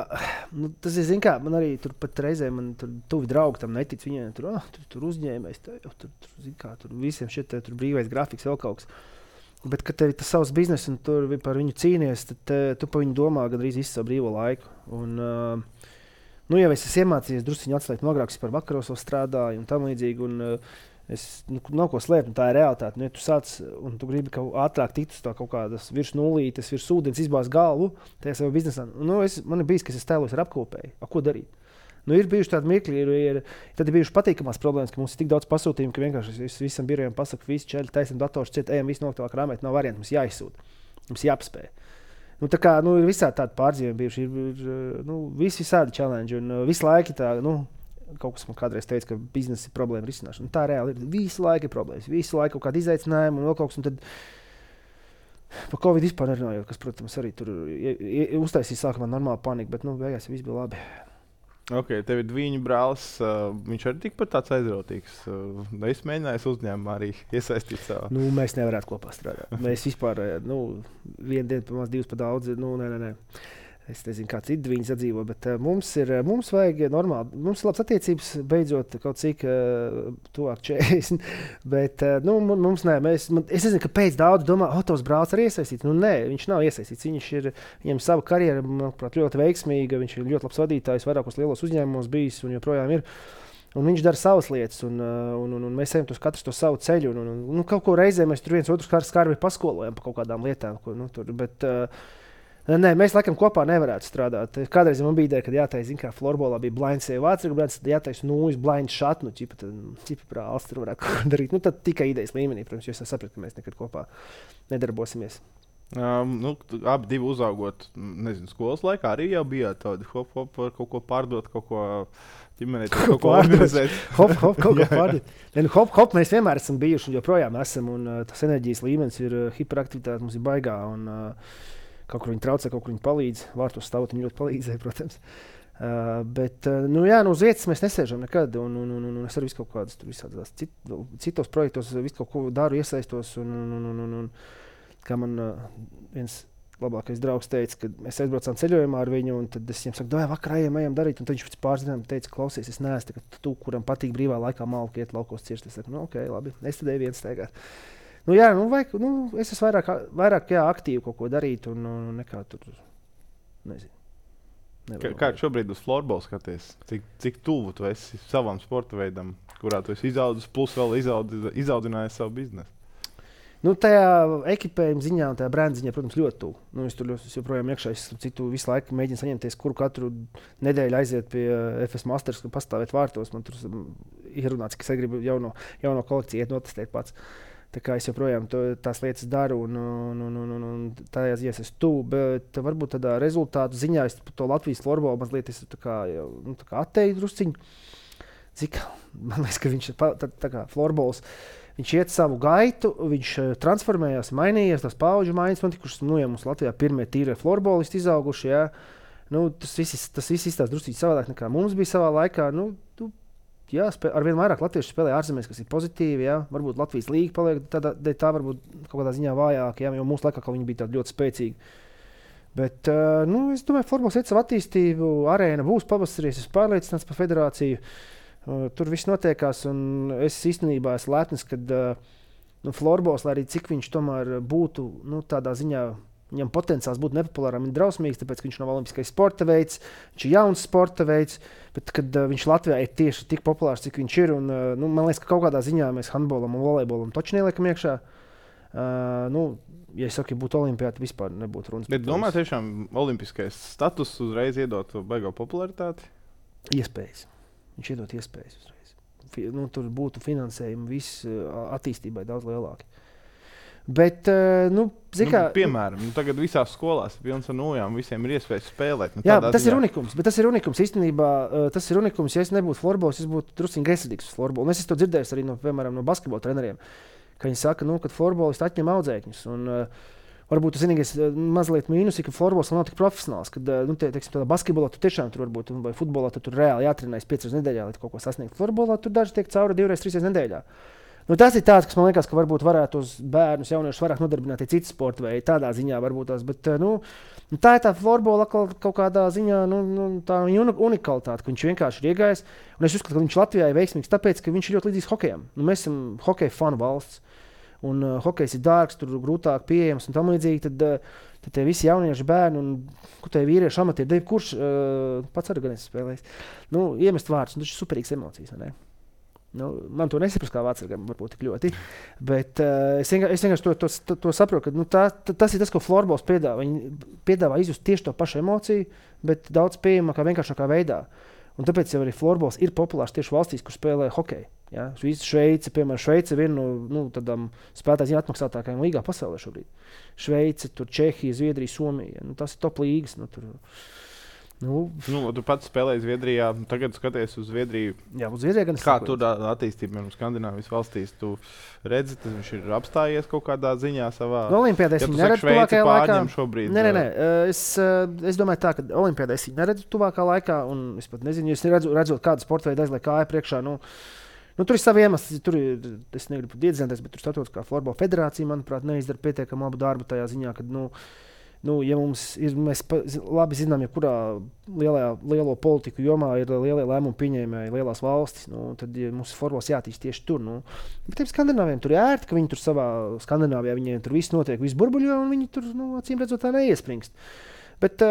tas ir, zin kā, man arī tur pat reizē, man tur tuvi draugi tam netic, viņiem tur uzņēmējs, tur visiem šeit tur brīvais grafiks, vēl kaut kas. Bet, kad tev ir tas savs biznes un tur par viņu cīnies, tad tu par viņu domā gandrīz visu savu brīvo laiku. Un, jau es esmu iemācījies drusciņu atslēgt nogrāks par vakaros vēl strādāju un tam līdzīgi. Un, es nav ko slēpt, un tā ir realitāte. Ja tu sāc un tu gribi kaut ātrāk tikt uz tā kaut kādas virs nulītes, virs ūdens, izbāzt galvu tajā savā biznesā. Man ir bijis, ka es tēlos ar apkopēju. Ko darīt? Ir bijuši tādi mirkļi, tad ir bijušas patīkamās problēmas, ka mums ir tik daudz pasūtījumu, ka vienkārši es visam birojam pasaku, visi čeļi, taisam dators, ejam visu noktāvā krāmēt, nav variantu, mums jāizsūta, mums jāapspēj. Ir visādi tādi pārdzīvumi bijuši, ir visādi challenge, un visu laiku tā, kaut kas man kādreiz teica, ka biznesa ir problēma risināšana. Tā reāli ir, visu laiku ir problēmas, visu laiku kaut kādi izaicinājumi un vēl kaut kas, un tad par Covid vispār nerunājot, kas, protams, arī tur uztaisīja sākumā normāli panika, bet, beigās viss bija labi. Ok, tev ir Dviņu brālis, viņš arī tikpat tāds aizrautīgs. Es mēģināju uzņēmumā arī iesaistīt savā. Mēs nevarētu kopā strādāt. Mēs vispār, vienu dienu pa maz, divas pa daudz, nē. Es nezinu, kā citi viņi sadzīvo, bet mums vajag normāli. Mums ir labas attiecības, beidzot kaut cik tuvāk 40. Bet mums nē, es nezinu, kāpēc daudz domā, tos brālis arī iesaistīts. Nē, viņš nav iesaistīts. Viņam sava karjera, manuprāt, ļoti veiksmīga. Viņš ir ļoti labs vadītājs, vairākos lielos uzņēmumos bijis un joprojām ir. Un viņš dara savas lietas, un mēs ejam katrs to savu ceļu. Un kaut ko reizē mēs tur viens otru skarbi paskolojam par kaut kādām lietām. Nē, mēs laikam kopā nevarētu strādāt. Kādreiz man bija ideja, kad jātaisa, kā florbolā bija blinds sev vācīgi, tad jātaisa blinds šat, ķipa brālis tur varētu kaut ko darīt. Tad tikai idejas līmenī, protams, jo es sapratu, ka mēs nekad kopā nedarbosimies. Abi divi uzaugot, skolas laikā arī jau bijāt tādi hop, kaut ko pārdot, kaut ko ģimenēt, kaut ko organizēt. Kaut ko pārdot. Hop, mēs vienmēr esam bijuši un joprojām esam, un tas enerģijas līmenis ir hiperaktivitāte, mums ir baigā, un kaut kur viņi traucē, kaut kur viņi palīdz. Vārtos stāvot, viņi ļoti palīdzēja, protams. Bet, uz vietas mēs nesēžam nekad. Un es arī visu kaut kādus visādās citos projektos visu kaut ko daru, iesaistos. Un kā man viens labākais draugs teica, kad mēs aizbraucām ceļojumā ar viņu, un tad es viņam saku, vakarā ejam darīt. Un tad viņš pēc pāris dienām teica, klausies, es neesmu tu, kuram patīk brīvā laikā malku iet laukos cirst. Es saku, ok, labi, es tad eju viens steigāt. Es esmu vairāk aktīvi kaut ko darīt, un nekā tur, nezinu. Kā šobrīd uz floorbola skaties? Cik tuvu tu esi savam sporta veidam, kurā tu esi izaudzis, plus vēl izaudzinājis savu biznesu? Tajā ekipējuma ziņā un tajā brenda ziņā, protams, ļoti tuvu. Es tur joprojām iekšā, es citu visu laiku mēģinu saņemties, kuru katru nedēļu aiziet pie FS Masters, pastāvēt vārtos. Man tur ir runāts, ka es gribu jauno kolekciju iet notestēt pats. Tā kā es joprojām tās lietas daru, un tajā ziņā es tuvu, bet varbūt tādā rezultātu ziņā es to Latvijas florbolu mazliet atteicu drusciņu. Man liekas, ka viņš tā kā florbols, viņš iet savu gaitu, viņš transformējās, mainījies, tās paudžu maiņas notikušas. Ja mums Latvijā pirmie tīrie florbolisti izauguši, jā. Tas viss izstās drusciņi savādāk nekā mums bija savā laikā. Jā, arvien vairāk latviešu spēlē ārzemēs, kas ir pozitīvi. Jā. Varbūt Latvijas līga paliek tā varbūt kaut kādā ziņā vājāka, jo mūsu laikā viņi bija tādi ļoti spēcīgi. Bet es domāju, florbols iet savu attīstību, arēna būs pavasarī, es pārliecināts par federāciju. Tur viss notiekās, un es īstenībā esmu lepns, kad florbols, lai arī cik viņš tomēr būtu tādā ziņā, viņam potenciāls būt nepopulāram un drausmīgs, tāpēc, ka viņš nav olimpiskais sporta veids, viņš ir jauns sporta veids, bet kad viņš Latvijā ir tieši tik populārs, cik viņš ir, un man liekas, ka kaut kādā ziņā mēs handbolam un volejbolam taču neliekam iekšā. Ja es saku, ja būtu olimpiāta, vispār nebūtu runas. Bet domā, tiešām olimpiskais status uzreiz iedot baigo popularitāti? iespējas. Viņš iedod iespējas uzreiz. Tur būtu finansējumi viss attīstībai daudz lielāki. Bet, piemēram, tagad visās skolās pilns ar nojām, visiem ir iespējas spēlēt. Tas ir unikums, bet tas ir unikums. Īstenībā, tas ir unikums, ja es nebūtu florbols, es būtu drusciņ gresidīgs uz florbolu. Es to dzirdēju arī no basketbola treneriem, ka viņi saka, ka florbolisti atņem audzēkņus. Un, varbūt tas vienīgais mazliet mīnus, ka florbols nav tik profesionāls. Kad, tādā basketbolā tu tiešām tur varbūt, vai futbolā tur reāli jātrenējas 5 reizes nedēļā, lai kaut ko sasniegt. Florbolā tur daži tiek cauri 2-3 reizes nedēļā. Tas ir tāds, kas man liekas, ka varbūt varētu uz bērnus, jauniešus vairāk nodarbināt citi sporta veidi. Tādā ziņā varbūt tās. Bet tā ir tā florbola kaut kādā ziņā tā unikalitāte, ka viņš vienkārši ir iegājis. Un es uzskatu, ka viņš Latvijā ir veiksmīgs, tāpēc, ka viņš ir ļoti līdzīgs hokejam. Mēs esam hokeja fanu valsts. Un hokejs ir dārgs, tur grūtāk pieejams un tam līdzīgi. Tad tie visi jaunieši bērni un tie vīrieši amatieri, kurš pats arī gan es spēlējis. Iemest vārdus, tas ir superīgs emocijas, vai ne? Man to nesaprast kā vācārgam, varbūt tik ļoti. Bet es vienkārši to saprotu, ka tas ir tas, ko florbols piedāvā. Viņi piedāvā izjust tieši to pašu emociju, bet daudz pieejamākā, vienkāršākā veidā. Un tāpēc jau arī florbols ir populārs tieši valstīs, kur spēlē hokeju. Ja? Šveice, piemēram, Šveice ir viena no tādām spēlētājiem atmaksātākajām līgā pasaulē šobrīd. Šveice, Čehija, Zviedrija, Somija. Tas ir top līgas. Tu pats spēlēji Zviedrijā, tagad skaties uz Zviedriju. Jā, uz Zviedriju gan es kā tur attīstība Skandināvijas valstīs? Tu redzi, ka viņš ir apstājies kaut kādā ziņā savā... Olimpiādē es viņu neredzu tuvākajā laikā. Šobrīd, nē. Es domāju tā, ka Olimpiādē es viņu neredzu tuvākā laikā, un es pat nezinu, es redzot kādu sporta veidu aizliek kāja priekšā. Tur ir savi iemesli, es negribu iedzināties, bet tur Startautiskā florbola federācija, manuprāt, neizdara pietiekami labu darbu tajā ziņā, kad, ja mums ir, mēs labi zinām, ja kurā lielo politiku jomā ir lielie lēmumu pieņēmēji, lielās valstis, tad mums florbols jātīst tieši tur. Bet tiem skandināviem tur ir ērti, ka viņi tur savā Skandināvijā, viņiem tur viss notiek, viss burbuļo, un viņi tur, acīm redzot, tā neiespringst. Bet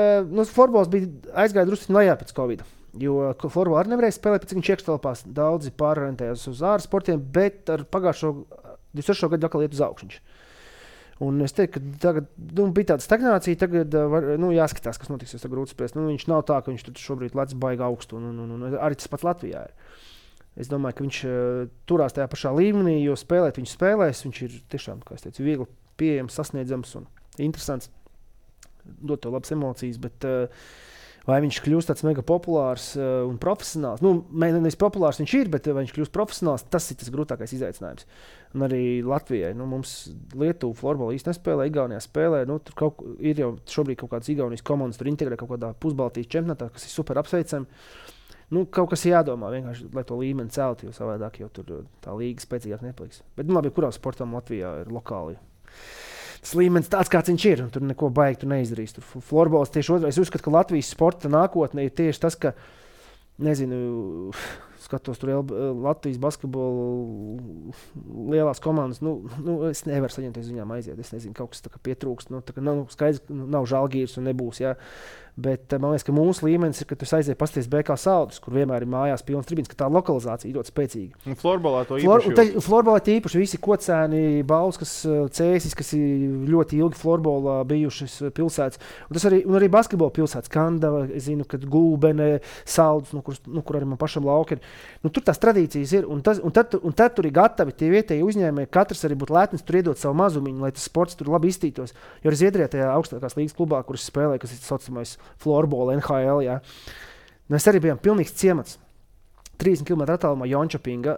florbols aizgāja drusku lejā pēc Covid. Jo florbola arī nevarēja spēlēt, pēc viņš iekštelpās daudzi pārorientējās uz ārsportiem, bet ar pagājušo 26. gadu atkal iet uz augšņu. Un es teiktu, ka tagad bija tāda stagnācija, tagad jāskatās, kas notiks, jo grūti spriest. Viņš nav tā, ka viņš tur šobrīd lec baigi augstu, un arī tas pats Latvijā ir. Es domāju, ka viņš turās tajā pašā līmenī, jo spēlēt viņš spēlēs, viņš ir tiešām, kā es teicu, viegli pieejams, sasniedzams un interesants, dot to labas emocijas, bet vai viņš kļūst tāds mega populārs un profesionāls? Nevis populārs viņš ir, bet vai viņš kļūst profesionāls, tas ir tas grūtākais izaicinājums. Un arī Latvijai, mums Lietuva florbola īsti nespēlē, Igaunijā spēlē, tur ir jau šobrīd kaut kādas Igaunijas komandas, tur integrē kaut kādā pusbaltijas čempionātā, kas ir super apsveicami. Kaut kas jādomā vienkārši, lai to līmeni celtu, jo savādāk jau tur tā līga spēcīgāk nepaliks. Bet labi, kurā sportam Latvijā ir lokāli. Tas līmenis tāds, kāds viņš ir, un tur neko baigi neizdarīs. Tur florbols tieši otrādi. Es uzskatu, ka Latvijas sporta nākotne ir tieši tas, ka, skatos tur Latvijas basketbolu lielās komandas, es nevaru saņemties viņām aiziet. Es nezinu, kaut kas tā kā pietrūkst. Skaidrs, nav Žalgiris un nebūs, jā. Bet man liekas, ka mūsu līmenis ir, ka tu aiziet pasties BK Saldus, kur vienmēr ir mājās pilns tribīns, ka tā lokalizācija ir ļoti spēcīga. Un florbolā to īpaši florbolā īpaši visi Kocēni, Bauskas, Cēsis, kas ir ļoti ilgi florbolā bijušas pilsētas. Un arī basketbola pilsētas, Kandava, es zinu, kad Gulbene, Saldus, kur arī man pašam lauki ir. Tur tās tradīcijas ir, un tad tur ir gatavi tie vietēji uzņēmēji, katrs arī būtu lētnis tur iedot savu mazumiņu, lai tas sports tur labi iztītos. Jo arī Zviedrijā tajā augstākās līgas klubā, kuras spēlēja, kas ir saucamais florbola, NHL, jā. Mēs arī bijām pilnīgs ciemats. 30 km attālumā Jončopinga,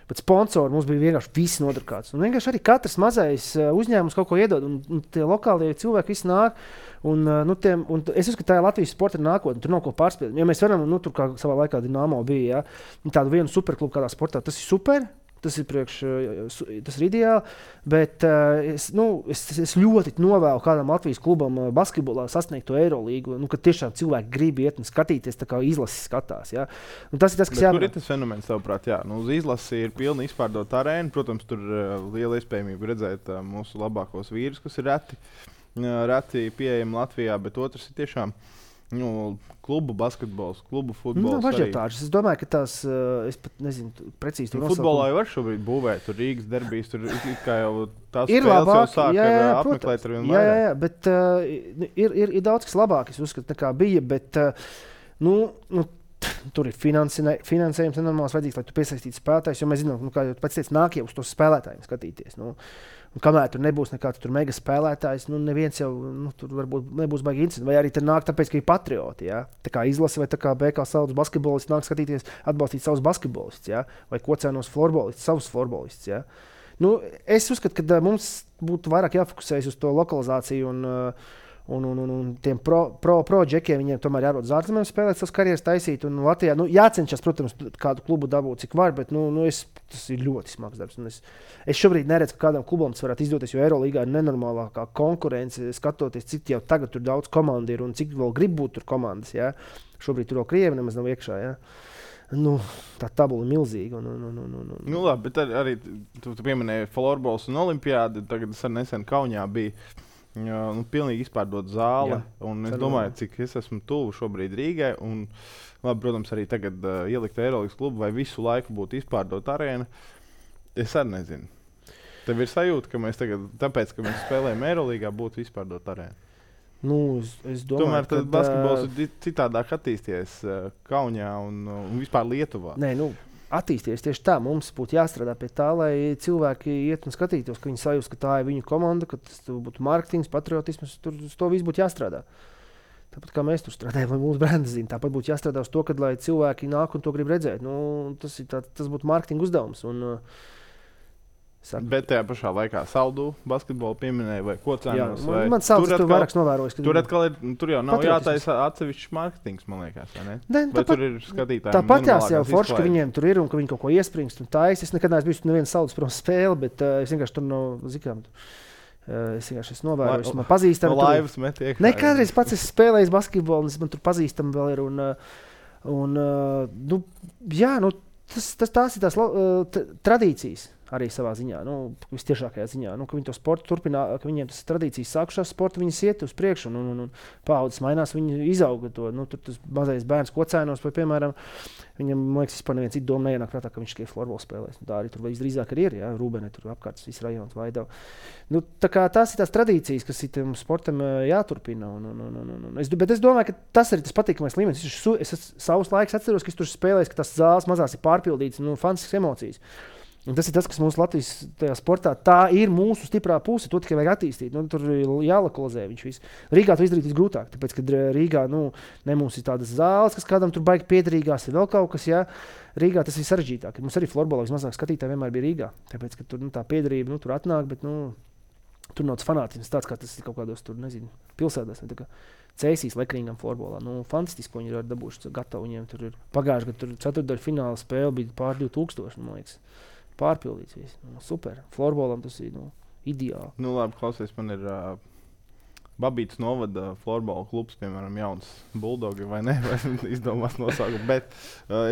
bet sponsori mums bija vienkārši visi nodrukāts. Un vienkārši arī katrs mazais uzņēmums kaut ko iedod, un tie lokālie cilvēki visi nāk. Un es uzskatu, ka tā ir Latvijas sporta nākotne, tur nav ko pārspēt. Ja mēs varam, tur kā savā laikā Dinamo bija, tādu vienu superklubu kādā sportā, tas ir super. Tas ir ideāli, bet es ļoti novēlu kādam Latvijas klubam basketbolā sasniegt to Eirolīgu, kad tiešām cilvēki grib iet un skatīties, tā kā izlases skatās. Ja? Tas ir tas, kas jābūt. Tur ir tas fenomens, tavuprāt, jā. Uz izlasi ir pilni izpārdota arēna. Protams, tur liela iespējamība redzēt mūsu labākos vīrus, kas ir reti pieejami Latvijā, bet otrs ir tiešām klubu basketbols, klubu futbols. Es domāju, ka tās, es pat nezinu, precīzi tur nosaukumu. Futbolā jau var šobrīd būvēt, tur Rīgas derbijas, tur kā jau tās spēles jau sāk apmeklēt ar vien vairāk. Jā, bet ir daudz, kas labāk, es uzskatu, nekā bija, bet, tur ir finansējums nenormāls vajadzīgs, lai tu piesaistītu spēlētājus, jo mēs zinām, kā jau pats teici, nāk jau uz tos spēlētājiem skatīties. Un kamēr tur nebūs nekāds mega spēlētājs, neviens jau tur varbūt nebūs baigi incidents. Vai arī tur nāk tāpēc, ka ir patrioti. Ja? Tā kā izlase vai tā kā BK Saules basketbolists nāk skatīties, atbalstīt savus basketbolistus. Ja? Vai kocēnos florbolistus, savus florbolistus. Ja? Es uzskatu, ka mums būtu vairāk jāfokusējas uz to lokalizāciju un tiem pro džekiem. Viņiem tomēr jārodas uz ārzemēm spēlēt savas karjeras taisīt. Un Latvijā jācenšas, protams, kādu klubu dabūt, cik var, bet tas ir ļoti smags darbs. Es šobrīd neredzu, ka kādam klubam tas varētu izdoties, jo Eirolīgā ir nenormālākā konkurence, skatoties, cik jau tagad tur daudz komandu ir un cik vēl grib būt tur komandas. Ja? Šobrīd tur vēl Krievi nemaz nav iekšā. Ja? Tā tabula ir milzīga. Labi, bet arī tu pieminēji florbols un olimpiādi. Tagad es nesen Kaunijā biju. Pilnīgi izpārdot zāli. Es domāju, cik es esmu tuvu šobrīd Rīgai. Un, labi, protams, arī tagad ielikt Eirolīgas klubu vai visu laiku būtu izpārdot arēnu. Es arī nezinu. Tev ir sajūta, ka mēs tagad, tāpēc, ka mēs spēlējam Eirolīgā, būtu izpārdot arēnu. Es domāju, tomēr tad basketbols ir citādāk attīstījies Kaunijā un vispār Lietuvā. Nē, attīstīties tieši tā. Mums būtu jāstrādā pie tā, lai cilvēki iet un skatītos, ka viņi sajūta, ka tā ir viņu komanda, ka tas būtu mārketings, patriotisms. Tur uz to viss būtu jāstrādā. Tāpat kā mēs tur strādājam, lai mūsu brendas zina. Tāpat būtu jāstrādā uz to, ka lai cilvēki nāk un to grib redzēt. Tas būtu mārketinga uzdevums. Bet tajā pašā laikā Saudu basketbolu pieminēja vai Kocēnos. Man sauc, tur vairāks novērojis. Tur jau nav jātaisa atsevišķs mārketings, man liekas. Vai tur ir skatītāji? Tāpat jau forši, ka viņiem tur ir un ka viņi kaut ko iespringst un taisa. Es nekad neesmu bijis neviena Saudas prom spēle, bet es vienkārši tur nav zikām. Es vienkārši novēroju, man pazīstami. Laivas met iekšā. Ne, kādreiz pats esmu spēlējis basketbolu, un man tur pazīstami vēl ir. Tās ir tās tradīcijas. Arī savā ziņā, vistiešākajā ziņā, ka viņi to sportu turpina, ka viņiem tas tradīcijas sākušās sporta, viņas iet uz priekšu un paaudzes mainās, viņi izauga to. Tur tas mazais bērns Kocēnos, piemēram, viņam, man liekas, vispār neviens citu domu neienāk prātā, ka viņš tikai florbola spēlēs. Tā arī tur visdrīzāk arī ir, Rūbenē, tur apkārt viss rajons Vaidava. Tā kā tās ir tās tradīcijas, kas ir tam sportam jāturpina. Bet es domāju, ka tas arī tas patīkamais līmenis. Es savus laikus atceros, ka es tur spēlēju, ka tās zāles mazās ir pārpildītas, fantastiskas emocijas. Un tas ir tas, kas mums Latvijas sportā tā ir mūsu stiprā puse. To tikai vajag attīstīt. Tur ir jālokalizē viņš viss. Rīgā to izdarīt visgrūtāk. Tāpēc, kad Rīgā ne mums ir tādas zāles, kas kādam tur baigi piederīgās, ir vēl kaut kas. Ja? Rīgā tas ir sarežģītāk. Mums arī florbolā vismazāk skatītāji vienmēr bija Rīgā. Tāpēc, ka tur tā piederība tur atnāk, bet tur nav tas fanātisms tāds, kā tas ir kaut kādos tur, nezinu, pilsētās. Cēsīs Lekrīngam florbolā. Fantastiski, ko viņi ir dabūši gatavi. Viņiem tur ir pagājuši, ka tur ceturtdaļu fināla spēle bija pār 2000, man liekas. Pārpildīts viss. Super. Florbolam tas ir ideāli. Labi, klausies, man ir Babītas novada florbola klubs, piemēram, jauns Bulldogi vai ne, vai izdomās nosaukumu. Bet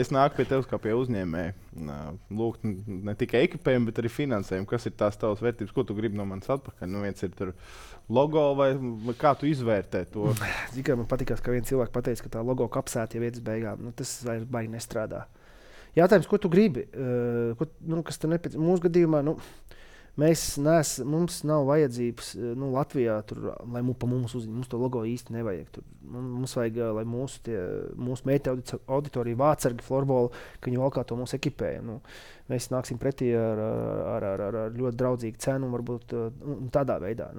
es nāku pie tevis kā pie uzņēmēja. Lūgt ne tikai ekipējumu, bet arī finansējumu. Kas ir tās tavas vērtības? Ko tu gribi no manis atpakaļ? Viens ir tur logo vai kā tu izvērtē to? Tikai man patīkās, ka viens cilvēks pateica, ka tā logo kapsēta jau vietas beigām. Tas vairs baigi nestrādā. Jautājums, ko tu gribi? Kas tev nepieciešams? Mūsu gadījumā mums nav vajadzības Latvijā, lai pa mums uzņemtu. Mums to logo īsti nevajag. Mums vajag, lai mūsu meitu auditorija vācargi florbolu, ka viņi valkā to mūsu ekipēju. Mēs nāksim pretī ar ļoti draudzīgu cenu, varbūt tādā veidā.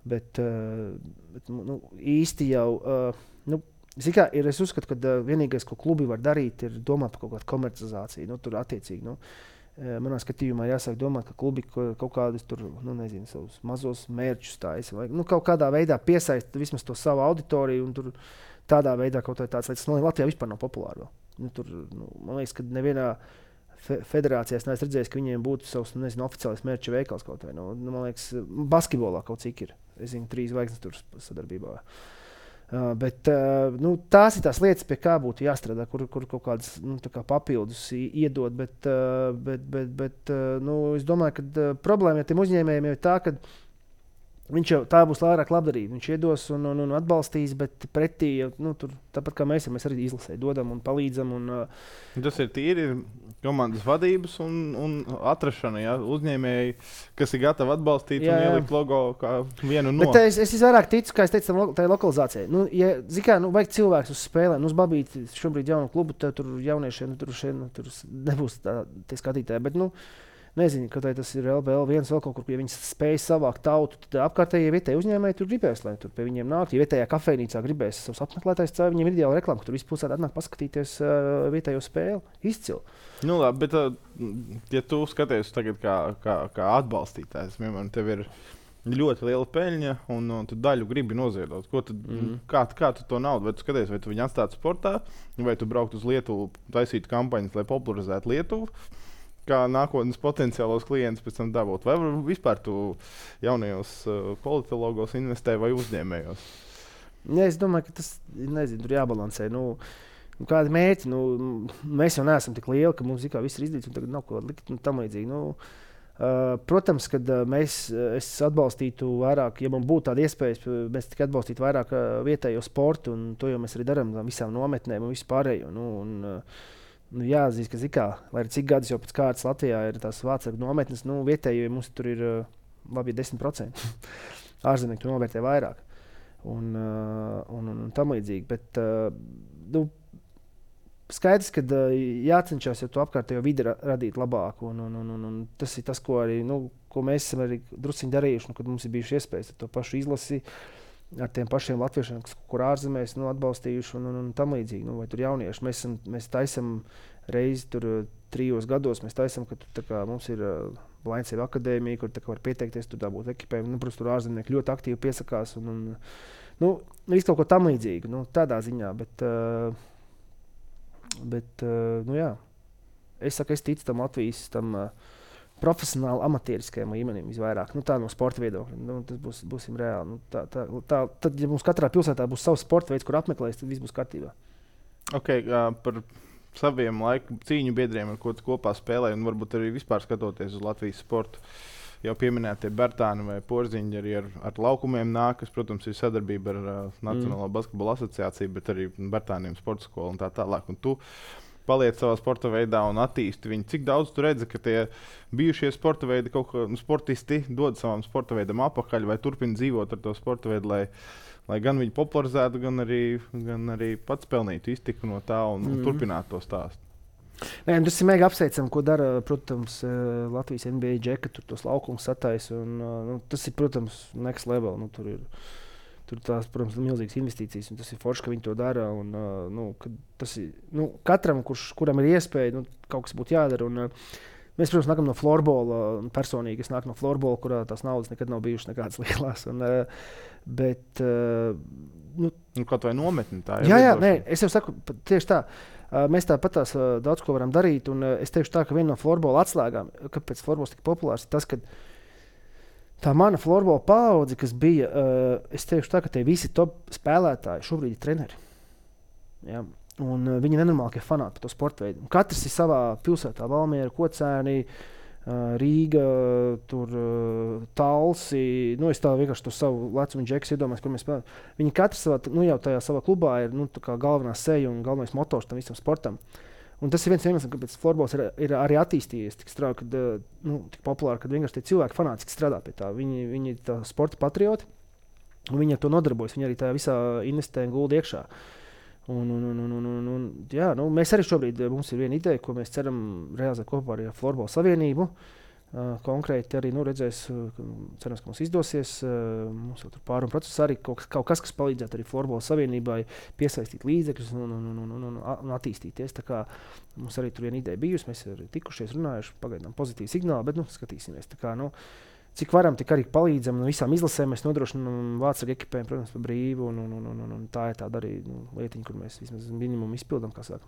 Bet īsti jau... Es uzskatu, ka vienīgais, ko klubi var darīt, ir domāt par kaut kādu komercializāciju. Tur attiecīgi, manā skatījumā jāsāk domāt, ka klubi kaut kādus tur, savus mazos mērķus taisa. Vai kaut kādā veidā piesaist vismaz to savu auditoriju un tur tādā veidā kaut kā tāds, lai tas Latvijā vispār nav populāri vēl. Man liekas, ka nevienā federācijā es neesmu redzējis, ka viņiem būtu savs, oficiālais mērķa veikals kaut vai. Man liekas, basketbolā kaut cik ir. Es zinu, 3 zvaigznes tur sadarbībā. Bet tās ir tās lietas, pie kā būtu jāstrādā, kur kaut kādas papildus iedot. Bet es domāju, ka problēma ar tiem uzņēmējiem ir tā, ka Viņš jau tā būs vairāk labdarība. Viņš iedos un atbalstīs, bet pretī, tur, tāpat kā mēs arī izlasē dodam un palīdzam. Tas ir tīri komandas vadības un atrašana, ja? Uzņēmēji, kas ir gatavi atbalstīt un ielikt logo kā vienu no. Bet es vairāk ticu, kā es teicu, tai lokalizācijai. Vajag cilvēks uz spēlēm. Uz Babīti šobrīd jaunu klubu, tur jauniešiem tur nebūs tie skatītāji. Bet, nezinu, ka tas ir LBL viens vēl kaut kur, ja viņi spēj savākt tautu, tad apkārtēji vietēji uzņēmēji tur gribēs, lai tur pie viņiem nāk. Ja vietējā kafejnīcā gribēs savus apmeklētājus, tad viņiem ir ideāla reklāma, ka tur viss pilsētā atnāk paskatīties vietējo spēli. Izcili. Labi, bet ja tu skaties tagad kā atbalstītājs, piemēram, tev ir ļoti liela peļņa un tu daļu gribi noziedot. Kā tu to naudu? Vai tu skaties, vai tu viņu atstātu sportā, vai tu brauktu uz Lietuvu, taisītu kampaņas, lai popularizētu Lietuvu? Kā nākotnes potenciālos klientus pēc tam dabūt. Vai vispār tu jaunajos politologos investē vai uzņēmējos? Es domāju, ka tas tur jābalansē. Kādi mērķi? Mēs jau neesam tik lieli, ka mums viss ir izdarīts un tagad nav ko likt tam līdzīgi. Protams, kad es atbalstītu vairāk, ja man būtu tāda iespēja, mēs tikai atbalstītu vairāk vietējo sportu, un to jau mēs arī darām visām nometnēm un vispārējo. Jāatzīst, ka lai ir cik gadus jau pēc kārtas Latvijā ir tās vācāku nometnes, vietēji mums tur ir labi 10%. Ārzemnieki tur novērtē vairāk un tam līdzīgi. Bet skaidrs, ka jācenšas to apkārtējo vidi radīt labāku. Un tas ir tas, ko arī ko mēs esam arī drusciņi darījuši, kad mums ir bijuši iespējas to pašu izlasi ar tiem pašiem latviešiem, kur ārzemēs atbalstījuši un tam līdzīgi. Vai tur jaunieši. Mēs taisam reizi tur 3 gados, mēs taisam, ka tur, mums ir Blainsēva akadēmija, kur var pieteikties, tur dabūt ekipējumu. Protams, tur ārzemnieki ļoti aktīvi piesakās visu kaut ko tam līdzīgu, tādā ziņā. Bet jā. Es ticu tam Latvijas profesionāli amatieriskajam līmenim visvairāk. Tā no sporta viedokļa. Tas būsim reāli. Tad, ja mums katrā pilsētā būs savs sporta veids, kur apmeklēs, tad viss būs kārtībā. Par saviem cīņu biedriem, ar ko tu kopā spēlē, un varbūt arī vispār skatoties uz Latvijas sportu, jau pieminētie Bertāni vai Porziņģi arī ar laukumiem nāk, kas, protams, ir sadarbība ar Nacionālo basketbola asociāciju, bet arī Bertāniem sporta skolu un tā tālāk. Un tu paliec savā sporta veidā un attīsti viņu. Cik daudz tu redzi, ka tie bijušie sporta veidi, kaut kā sportisti dod savam sporta veidam apakaļ vai turpina dzīvot ar to sporta veidu, lai gan viņi popularizētu, gan arī pats pelnītu iztiku no tā un turpinātu to stāstu? Tas ir mega apsveicami, ko dara, protams, Latvijas NBA džeka, tur tos laukumus sataisa. Tas ir, protams, next level. Tur tās, protams, ir milzīgas investīcijas, un tas ir forši, ka viņi to dara. Tas ir katram, kuram ir iespēja, kaut kas būtu jādara. Mēs, protams, nākam no florbola. Personīgi es nāku no florbola, kurā tās naudas nekad nav bijušas nekādas lielas. Kaut vai nometni tā ir. Jā, nē, es jau saku, tieši tā. Mēs tāpat daudz ko varam darīt. Es teikšu tā, ka viena no florbola atslēgām, kāpēc florbols tik populārs, ir tas, ka tā mana florbola paudze, kas bija, es teikšu tā, ka tie visi top spēlētāji šobrīd ir treneri. Ja? Un viņi nenormāli fanāti par to sporta veidu. Katrs ir savā pilsētā, Valmiera, Kocēni, Rīga, Talsi. Es tā vienkārši to savu lecumu džeku iedomājos, kur mēs spēlējam. Viņi katrs jau tajā savā klubā ir galvenā seja un galvenais motors tam visam sportam. Un tas ir viens iemesls, kāpēc florbols ir arī attīstījies tik strauji, tik populāri, kad vienkārši tie cilvēki fanātiski strādā pie tā. Viņi ir tā sporta patrioti, un viņi ar to nodarbojas. Viņi arī tajā visā investē un gulda iekšā. Mēs arī šobrīd, mums ir viena ideja, ko mēs ceram realizēt kopā ar Florbola savienību. Konkrēti arī redzēs, cerams, ka mums izdosies. Mums jau tur pārunu procesā arī kaut kas, kas palīdzētu arī Florbola savienībai piesaistīt līdzekļus un attīstīties. Tā kā mums arī tur viena ideja bijusi, mēs arī tikušies, runājuši, pagaidām pozitīvi signāli, bet skatīsimies. Tā kā, cik varam, tik arī palīdzam. Visām izlasēm mēs nodrošinām vācu ekipējumu, protams, par brīvu. Tā ir tāda arī lietiņa, kur mēs vismaz minimumu izpildām, kā saka.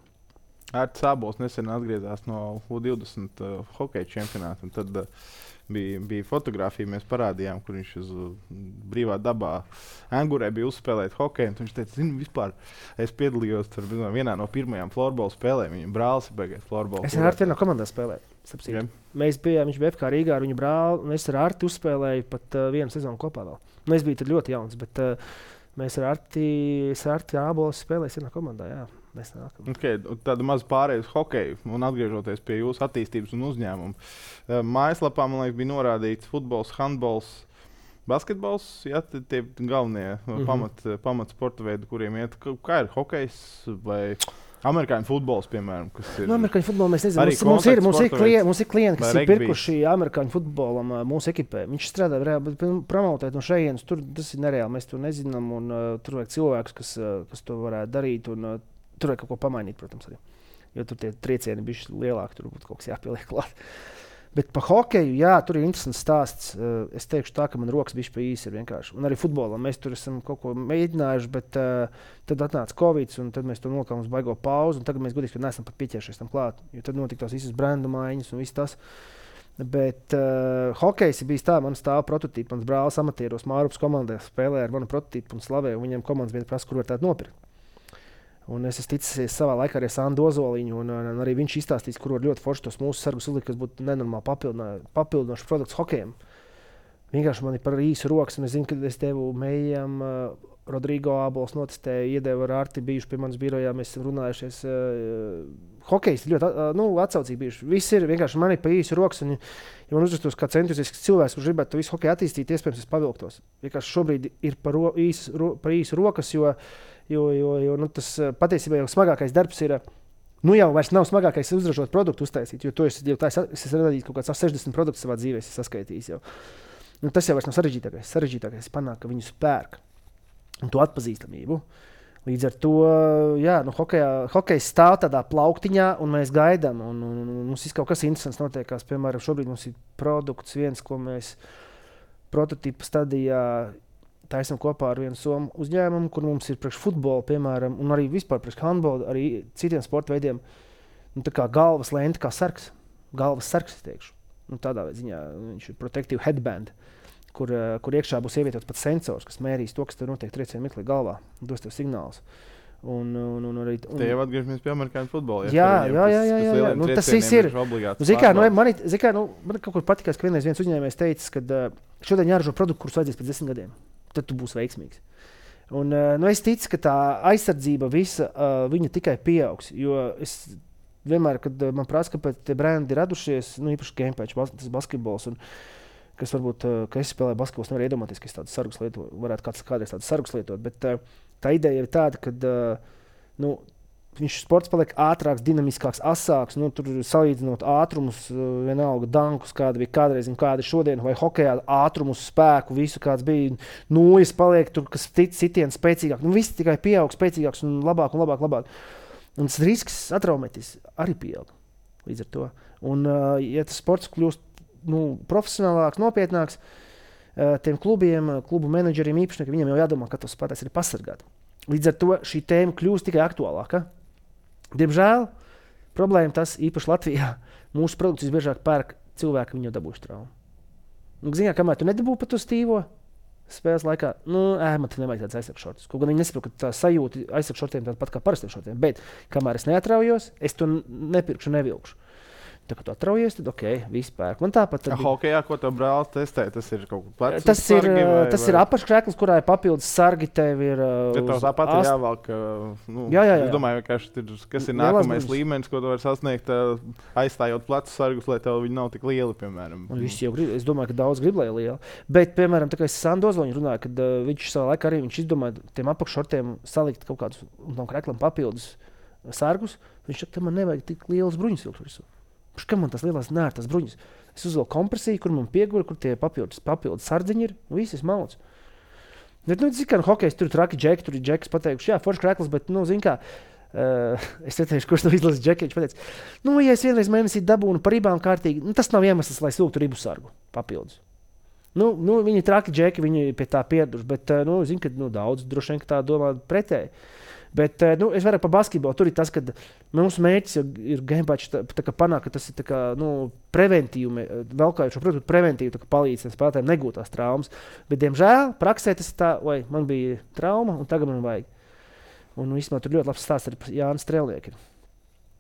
Ārts Sābols nesen atgriezās no U20 hokeja čempionāta. Tad bija fotografija, mēs parādījām, kur viņš uz brīvā dabā Angurē bija uzspēlēt hokeju. Viņš teica, vispār es piedalījos vienā no pirmajām florbola spēlēm. Viņa brālis ir beigās florbola. Es ar Arti vienā komandā spēlēju. Viņš bija FK Rīgā ar viņu brāli, un es ar Arti uzspēlēju pat vienu sezonu kopā vēl. Es biju tad ļoti jauns, bet mēs ar Arti Ābolas spēlējām vienā komandā, jā. Okay, tāda maza pārējais hokeju un atgriežoties pie jūsu attīstības un uzņēmuma. Mājaslapā, man liekas, bija norādīts futbols, handbols, basketbols, ja, tie galvenie pamat sporta veidi, kuriem iet. Kā ir hokejs vai amerikāņu futbols, piemēram? Amerikāņu futbolu mēs nezinām. Mums ir klienti, kas ir pirkuši amerikāņu futbolam mūsu ekipē. Viņš strādā reāli, bet promotēt no šejienes, tas ir nereāli, mēs to nezinām, un tur vajag cilvēkus, kas to varētu darīt, un tur vajag kaut ko pamainīt, protams, arī. Jo tur tie triecieni bišķi lielāki, tur būtu kaut kas jāpieliek klāt. Bet par hokeju, jā, tur ir interesants stāsts. Es teikšu tā, ka man rokas bišķi pa īsi ir vienkārši. Un arī futbolam mēs tur esam kaut ko mēģinājuši, bet tad atnāca Covid, un tad mēs to nolikām uz baigo pauzi, un tagad mēs godīgi, ka neesam pat pieķēršies tam klāt. Jo tad notika tās visas brendu maiņas un viss tas. Bet hokejs ir bijis tā, man stāv prototīpi. Mans brālis amatieros Mārupas komandā spēlē ar manu prototīpu un slavēju, un viņiem komandas vieta prasa, kur var tādu nopirkt. Un es esmu ticis savā laikā ar Sandu Ozoliņu, un arī viņš izstāstīs, kur var ļoti forši tos mūsu sargus uzlikt, kas būtu nenormāli papildinošs produkts hokejam. Vienkārši man ir par īsu rokas, un es zinu, ka es devu mējām, Rodrigo Ābols notestēju, iedevu ar Arti, bijuši pie manas birojā, mēs esam runājušies. Hokejs ir ļoti atsaucīgi bijuši. Viss ir vienkārši man ir pa īsu rokas, un ja man uzrastos kā entuziastisks cilvēks, kurš gribētu to visu hokeju attīstīt, iespējams es pavilktos. Vienkārši šobrīd ir par īsu rokas, jo tas patiesībā jau smagākais darbs ir, jau vairs nav smagākais uzražot produktu uztaisīt, jo es esmu radījis kaut kāds 60 produktus savā dzīvē, es saskaitījis jau. Tas jau vairs nav sarežģītākais. Sarežģītākais panāk, ka viņus pērk un to atpazīstamību. Līdz ar to, jā, hokejs stāv tādā plauktiņā, un mēs gaidām, un mums ir kaut kas interesants notiekās. Piemēram, šobrīd mums ir produkts viens, ko mēs prototipa stadijā taisam kopā ar vienu somu uzņēmumu, kur mums ir priekš futbola, piemēram, un arī vispār priekš handbola, arī citiem sporta veidiem, tā kā galvas lente, kā sargs. Galvas sargs, es teikšu. Tādā ziņā viņš ir protective headband, kur iekšā būs ievietots pat sensors, kas mērīs to, kas tev notiek triecienu mirklī galvā, un dos tev signālus. Te jau atgriežamies pie amerikāņu futbola. Jā. Tas viss ir. Man kaut kur patikās, ka vienreiz viens uzņēmējs teica, ka šodien jāražo produktu, kurus vajadzēs pēc 10 gadiem. Tad tu būsi veiksmīgs. Un, es ticu, ka tā aizsardzība visa viņa tikai pieaugs. Jo es vienmēr, kad man prasa, kāpēc tie brendi ir radušies, īpaši Gamepatch, tas basketbols, un kas varbūt, ka es spēlēju basketbols, nevar iedomāties, ka es tādu sargus lietotu, varētu kādreiz tādu sargus lietot, bet tā ideja ir tāda, ka viņš sports paliek ātrāks, dinamiskāks, asāks, tur salīdzinot ātrumus, vienalga dankus, kāda bija kādreiz un kāda ir šodien, vai hokejā ātrumus, spēku, visu kāds bija, nūjas paliek tur, kas citien spēcīgāk, viss tikai pieaug spēcīgāks un labāk. Un tas risks atraumetis arī pieaug līdz ar to. Un, ja tas sports kļūst profesionālāks, nopietnāks, tiem klubiem, klubu menedžeriem īpašniekiem, viņiem jau jādomā, ka tos spēlētājs ir pasargāt. Līdz ar to šī tēma kļūst tikai aktuālāka. Diemžēl problēma tas īpaši Latvijā. Mūsu produktus biežāk pērk cilvēki, viņi jau dabūši traumu. Ziniet, kamēr tu nedabūji pat to stīvo spēles laikā, man te nevajag tāds aizsargšortus. Kaut gan viņi nesaprot, ka tā sajūta aizsargšortiem tāda pat kā parastiem šortiem. Bet kamēr es neatraujos, es to nepirkšu, nevilkšu. Tā kā tu atraujies, tad viss pērk. Man tāpat bija. Hokejā, ko tev brālis testē, tas ir kaut kāds tas sargi, tas ir apakškrēklis, kurā ir papildus sargi, tev ir tev tāpat ir jāvalk. Jā. Es domāju, kas ir nākamais līmenis, ko tu vari sasniegt, aizstājot plecus sargus, lai tev viņi nav tik lieli, piemēram. Es domāju, ka daudz grib, lai ir lieli. Bet, piemēram, tā kā es Sandu Ozoliņu runāju, kad viņš savā laikā arī izdomāja tiem apakššortiem salikt kaut kādus tam krēklam papildus sargus, viņš saka, man nevajag tik lielas bruņas vilkt virsū. Kam man tas lielās nērtas bruņas? Es uzvilku kompresiju, kur man piegura, kur tie papildus sardziņi ir, un viss mauc. Bet, zin kā, hokejs tur traki džeki, tur ir džekas pateikuši, jā, forši krēklis, bet, zin kā, es neteikšu, kurš to izlases džeki, viņš pateica, ja es vienreiz mēnesī dabūnu par ribām kārtīgi, tas nav iemesls, lai vilktu ribu sargu papildus. Viņi traki džeki, viņi pie tā pieraduši, bet, zin, ka daudz droši vien, ka tā domā pretēji. Bet es vairāk par basketbolu. Tur ir tas, ka mūsu mērķis ir Gamepatch panākt, ka tas ir preventīvi, velkājot šo produktu preventīvi palīdz spēlētājiem negūt tās traumas. Bet, diemžēl, praksē tas ir tā, vai man bija trauma un tagad man vajag. Un īstenībā tur ļoti labs stāsts ar Jānis Strēlnieku.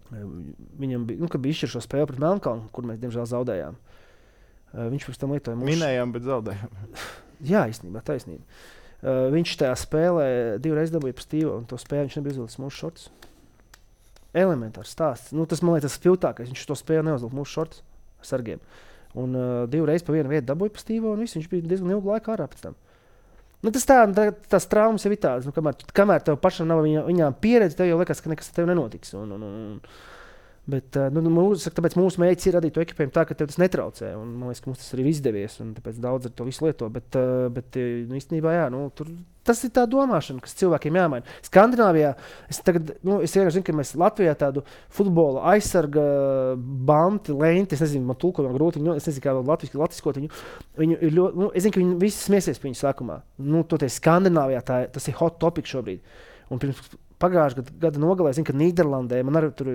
Viņam bija, kad bija izšķiršo spēli pret Melnkalnu, kur mēs, diemžēl, zaudējām. Viņš pirms tam lietoja mūsu... Minējām, bet zaudējām. Jā, īstenībā, taisnība. Viņš tajā spēlē 2 reizes dabūja pa stīvu, un to spēli viņš nebija uzlicis mūsu šortus. Elementārs stāsts. Tas, man liekas, tas filtākais. Viņš to spēli neuzlika mūsu šortus ar sargiem. Un 2 reizes pa vienu vietu dabūja pa stīvu, un viņš bija diezgan ilgu laiku ārā pēc tam. Tas traumas jau ir tādas. Kamēr tev pašam nav viņām pieredze, tev jau liekas, ka nekas tev nenotiks. Bet tāpēc mūsu mērķis ir radīt to ekipējumu tā, ka tev tas netraucē. Un, man liekas, ka mums tas arī izdevies. Tāpēc daudz ar to visu lieto. Bet īstenībā, jā, tas ir tā domāšana, kas cilvēkiem jāmaina. Skandināvijā es vienkārši zinu, ka mēs Latvijā tādu futbola aizsarga banti, lenti, es nezinu, man tulkojumā grūti, es nezinu, kā latviskot viņu. Es zinu, ka viņi visi smiesies par viņu sākumā. Toties Skandināvijā tas ir hot topic šobrīd. Un pirms pagājušā gada nogalē, zinu, ka Nīderlandē, man arī tur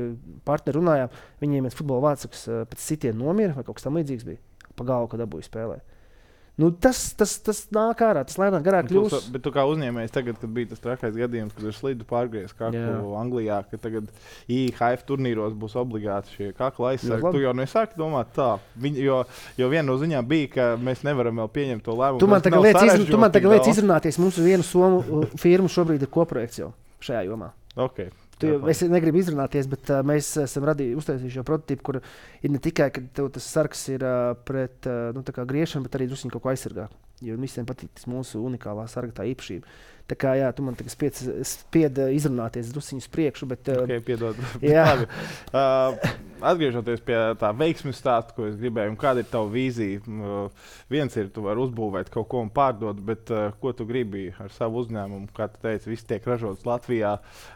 partneri runājām, viņiem viens futbola vārdsargs pēc sitiena nomira, vai kaut kas tam līdzīgs bija, pa galvu, kad dabūja spēlē. Tas nāk ārā, tas lēnāk garāk kļūst. Bet tu kā uzņēmējs tagad, kad bija tas trakais gadījums, kad ir slidu pārgriezis kaklu Anglijā, ka tagad IHF turnīros būs obligāti šie kakla aizsargi. Tu jau nesāki domāt tā, jo viena no ziņām bija, ka mēs nevaram vēl pieņemt to lēmumu. Tu man tagad liec izrunāties, mums vienu somu firmu šobrīd ir koprojekts jau šajā jomā. Okay. Es negribu izrunāties, bet mēs esam uztaisījuši šo prototipu, kur ir ne tikai, ka tev tas sargs ir pret griešanu, bet arī druskuņi kaut ko aizsargā. Jo visiem patīk tas mūsu unikālā sarga tā īpašība. Tā kā jā, tu man tagad spied izrunāties druskuņi uz priekšu, bet... Piedod. Atgriežoties pie tā veiksmes stāsta, ko es gribēju, un kāda ir tava vīzija? Viens ir, tu vari uzbūvēt kaut ko un pārdot, bet ko tu gribi ar savu uzņēmumu? Kā tu teici, viss tiek ražots Latvijā,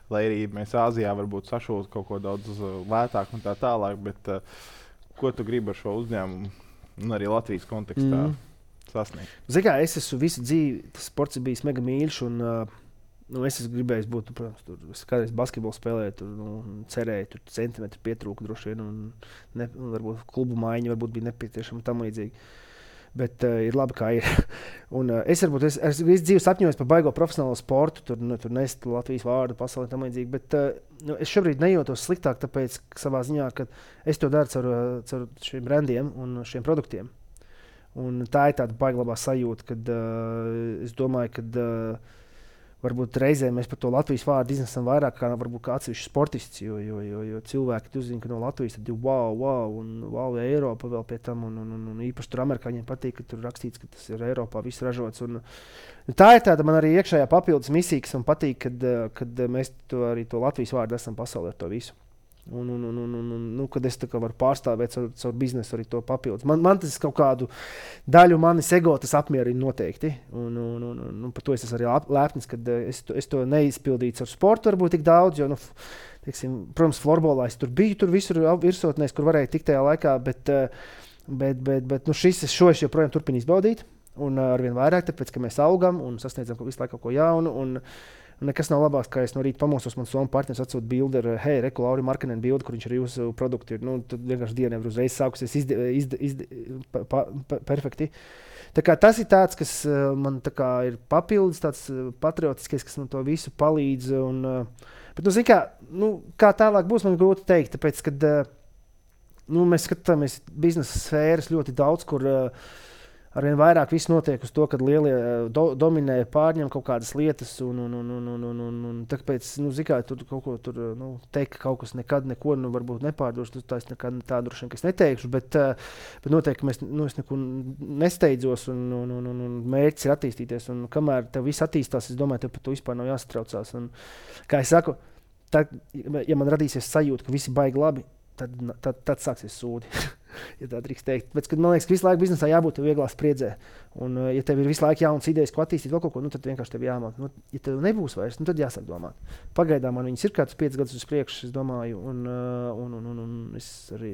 lai arī mēs Āzijā varbūt sašūtu kaut ko daudz lētāk un tā tālāk, bet ko tu gribi ar šo uzņēmumu un arī Latvijas kontekstā sasniegt? Zini kā, es esmu visu dzīvi, tas sports ir bijis mega mīļš, un es esmu gribējis būt, protams, es kādreiz basketbolu spēlēju, cerēju, centimetri pietrūka droši vien, un varbūt klubu maiņa varbūt bija nepieciešama tam līdzīgi. Bet ir labi, kā ir. Un es visu dzīvi sapņojos par baigo profesionālo sportu, tur nest Latvijas vārdu pasaulē tam līdzīgi, bet es šobrīd nejūtos sliktāk, tāpēc savā ziņā, ka es to daru caur šiem brandiem un šiem produktiem. Un tā ir tāda baiglabā sajūta, kad es domāju, ka varbūt reizē mēs par to Latvijas vārdu iznesam vairāk kā varbūt kā atsevišķi sportists, jo cilvēki uzzina, ka no Latvijas tad ir wow, Eiropa vēl pie tam, un īpaši tur amerikāņiem patīk, ka tur rakstīts, ka tas ir Eiropā viss ražots. Un tā ir tāda man arī iekšējā papildus misija, kas man patīk, kad mēs arī to Latvijas vārdu esam pasaulē ar to visu. Kad es varu pārstāvēt caur biznesu arī to papildus. Man tas kaut kādu daļu manis ego tas apmierina noteikti. Par to es esmu arī lepnis, kad es to neizpildīju ar sportu varbūt tik daudz, jo, protams, florbolā es tur biju, tur visur virsotnēs, kur varēju tikt tajā laikā, bet šo es joprojām turpinu izbaudīt. Un arvien vairāk, tāpēc, ka mēs augam un sasniedzam visu laiku kaut ko jaunu. Un nekas nav labāks, kā es no rīta pamosos, man somu partneris atsūta bildi ar Reku Lauri Markkanen bildi, kur viņš ar jūsu produktu ir. Tad vienkārši diena nevar uzreiz sākusies perfekti. Tā kā tas ir tāds, kas man tā kā ir papildus, tāds patriotiskais, kas man to visu palīdz. Bet, zini kā tālāk būs, man grūti teikt, tāpēc, kad mēs skatāmies biznesa sfēras ļoti daudz, kur arvien vairāk viss notiek uz to, kad lielie dominē, pārņem kaut kādas lietas, un tāpēc, kā tur kaut ko tur, teikt, ka kaut kas nekad neko, varbūt nepārdošu, tā es nekad tā droši vien, ka es neteikšu, bet noteikti es neko nesteidzos, un mērķis ir attīstīties, un kamēr tev viss attīstās, es domāju, tev par to vispār nav jāsatraucās, un, kā es saku, ja man radīsies sajūta, ka visi baigi labi, tad sāksies sūdi. Ja tā drīkst teikt. Bet, man liekas, ka visu laiku biznesā jābūt vieglā spriedzē. Un, ja tev ir visu laiku jaunas idejas, ko attīstīt vēl kaut ko, tad vienkārši tev jāmāk. Ja tev nebūs vairs, tad jāsāk domāt. Pagaidām man viņas ir kāds 5 gadus uz priekšu, es domāju, un es arī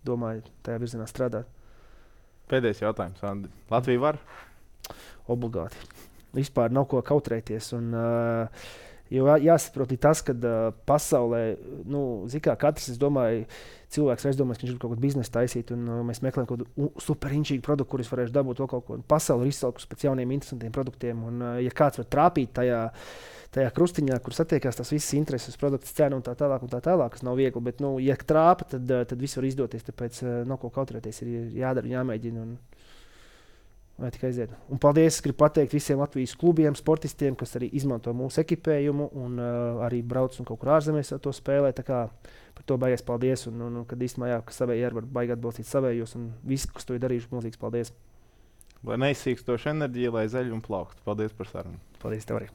domāju tajā virzienā strādāt. Pēdējais jautājums, Andi. Latvija var? Obligāti. Vispār nav ko kautrēties. Un, Jo jāsaprot tas, ka pasaulē, katrs, es domāju, cilvēks aizdomājas, ka viņš grib kaut kādu biznesu taisīt, un mēs meklējam kaut kādu superinčīgu produktu, kurus varēšu dabūt vēl kaut ko. Pasaule ir izsalkusi pēc jauniem, interesantiem produktiem, un ja kāds var trāpīt tajā krustiņā, kur satiekās tās visas intereses, produkts, cena un tā tālāk, kas nav viegli, bet, ja trāpa, tad viss var izdoties, tāpēc nav ko kautrēties, ir jādara, jāmēģina. Vai tikai aiziet. Un paldies! Es gribu pateikt visiem Latvijas klubiem, sportistiem, kas arī izmanto mūsu ekipējumu un arī brauc un kaut kur ārzemēs to spēlē. Par to baigais paldies. Kad īstenībā ka savēji var baigi atbalstīt savējos un visi, kas to ir darījuši, milzīgs paldies! Lai neizsīkstoša enerģija, lai zaļ un plauktu. Paldies par sarunu! Paldies tev arī!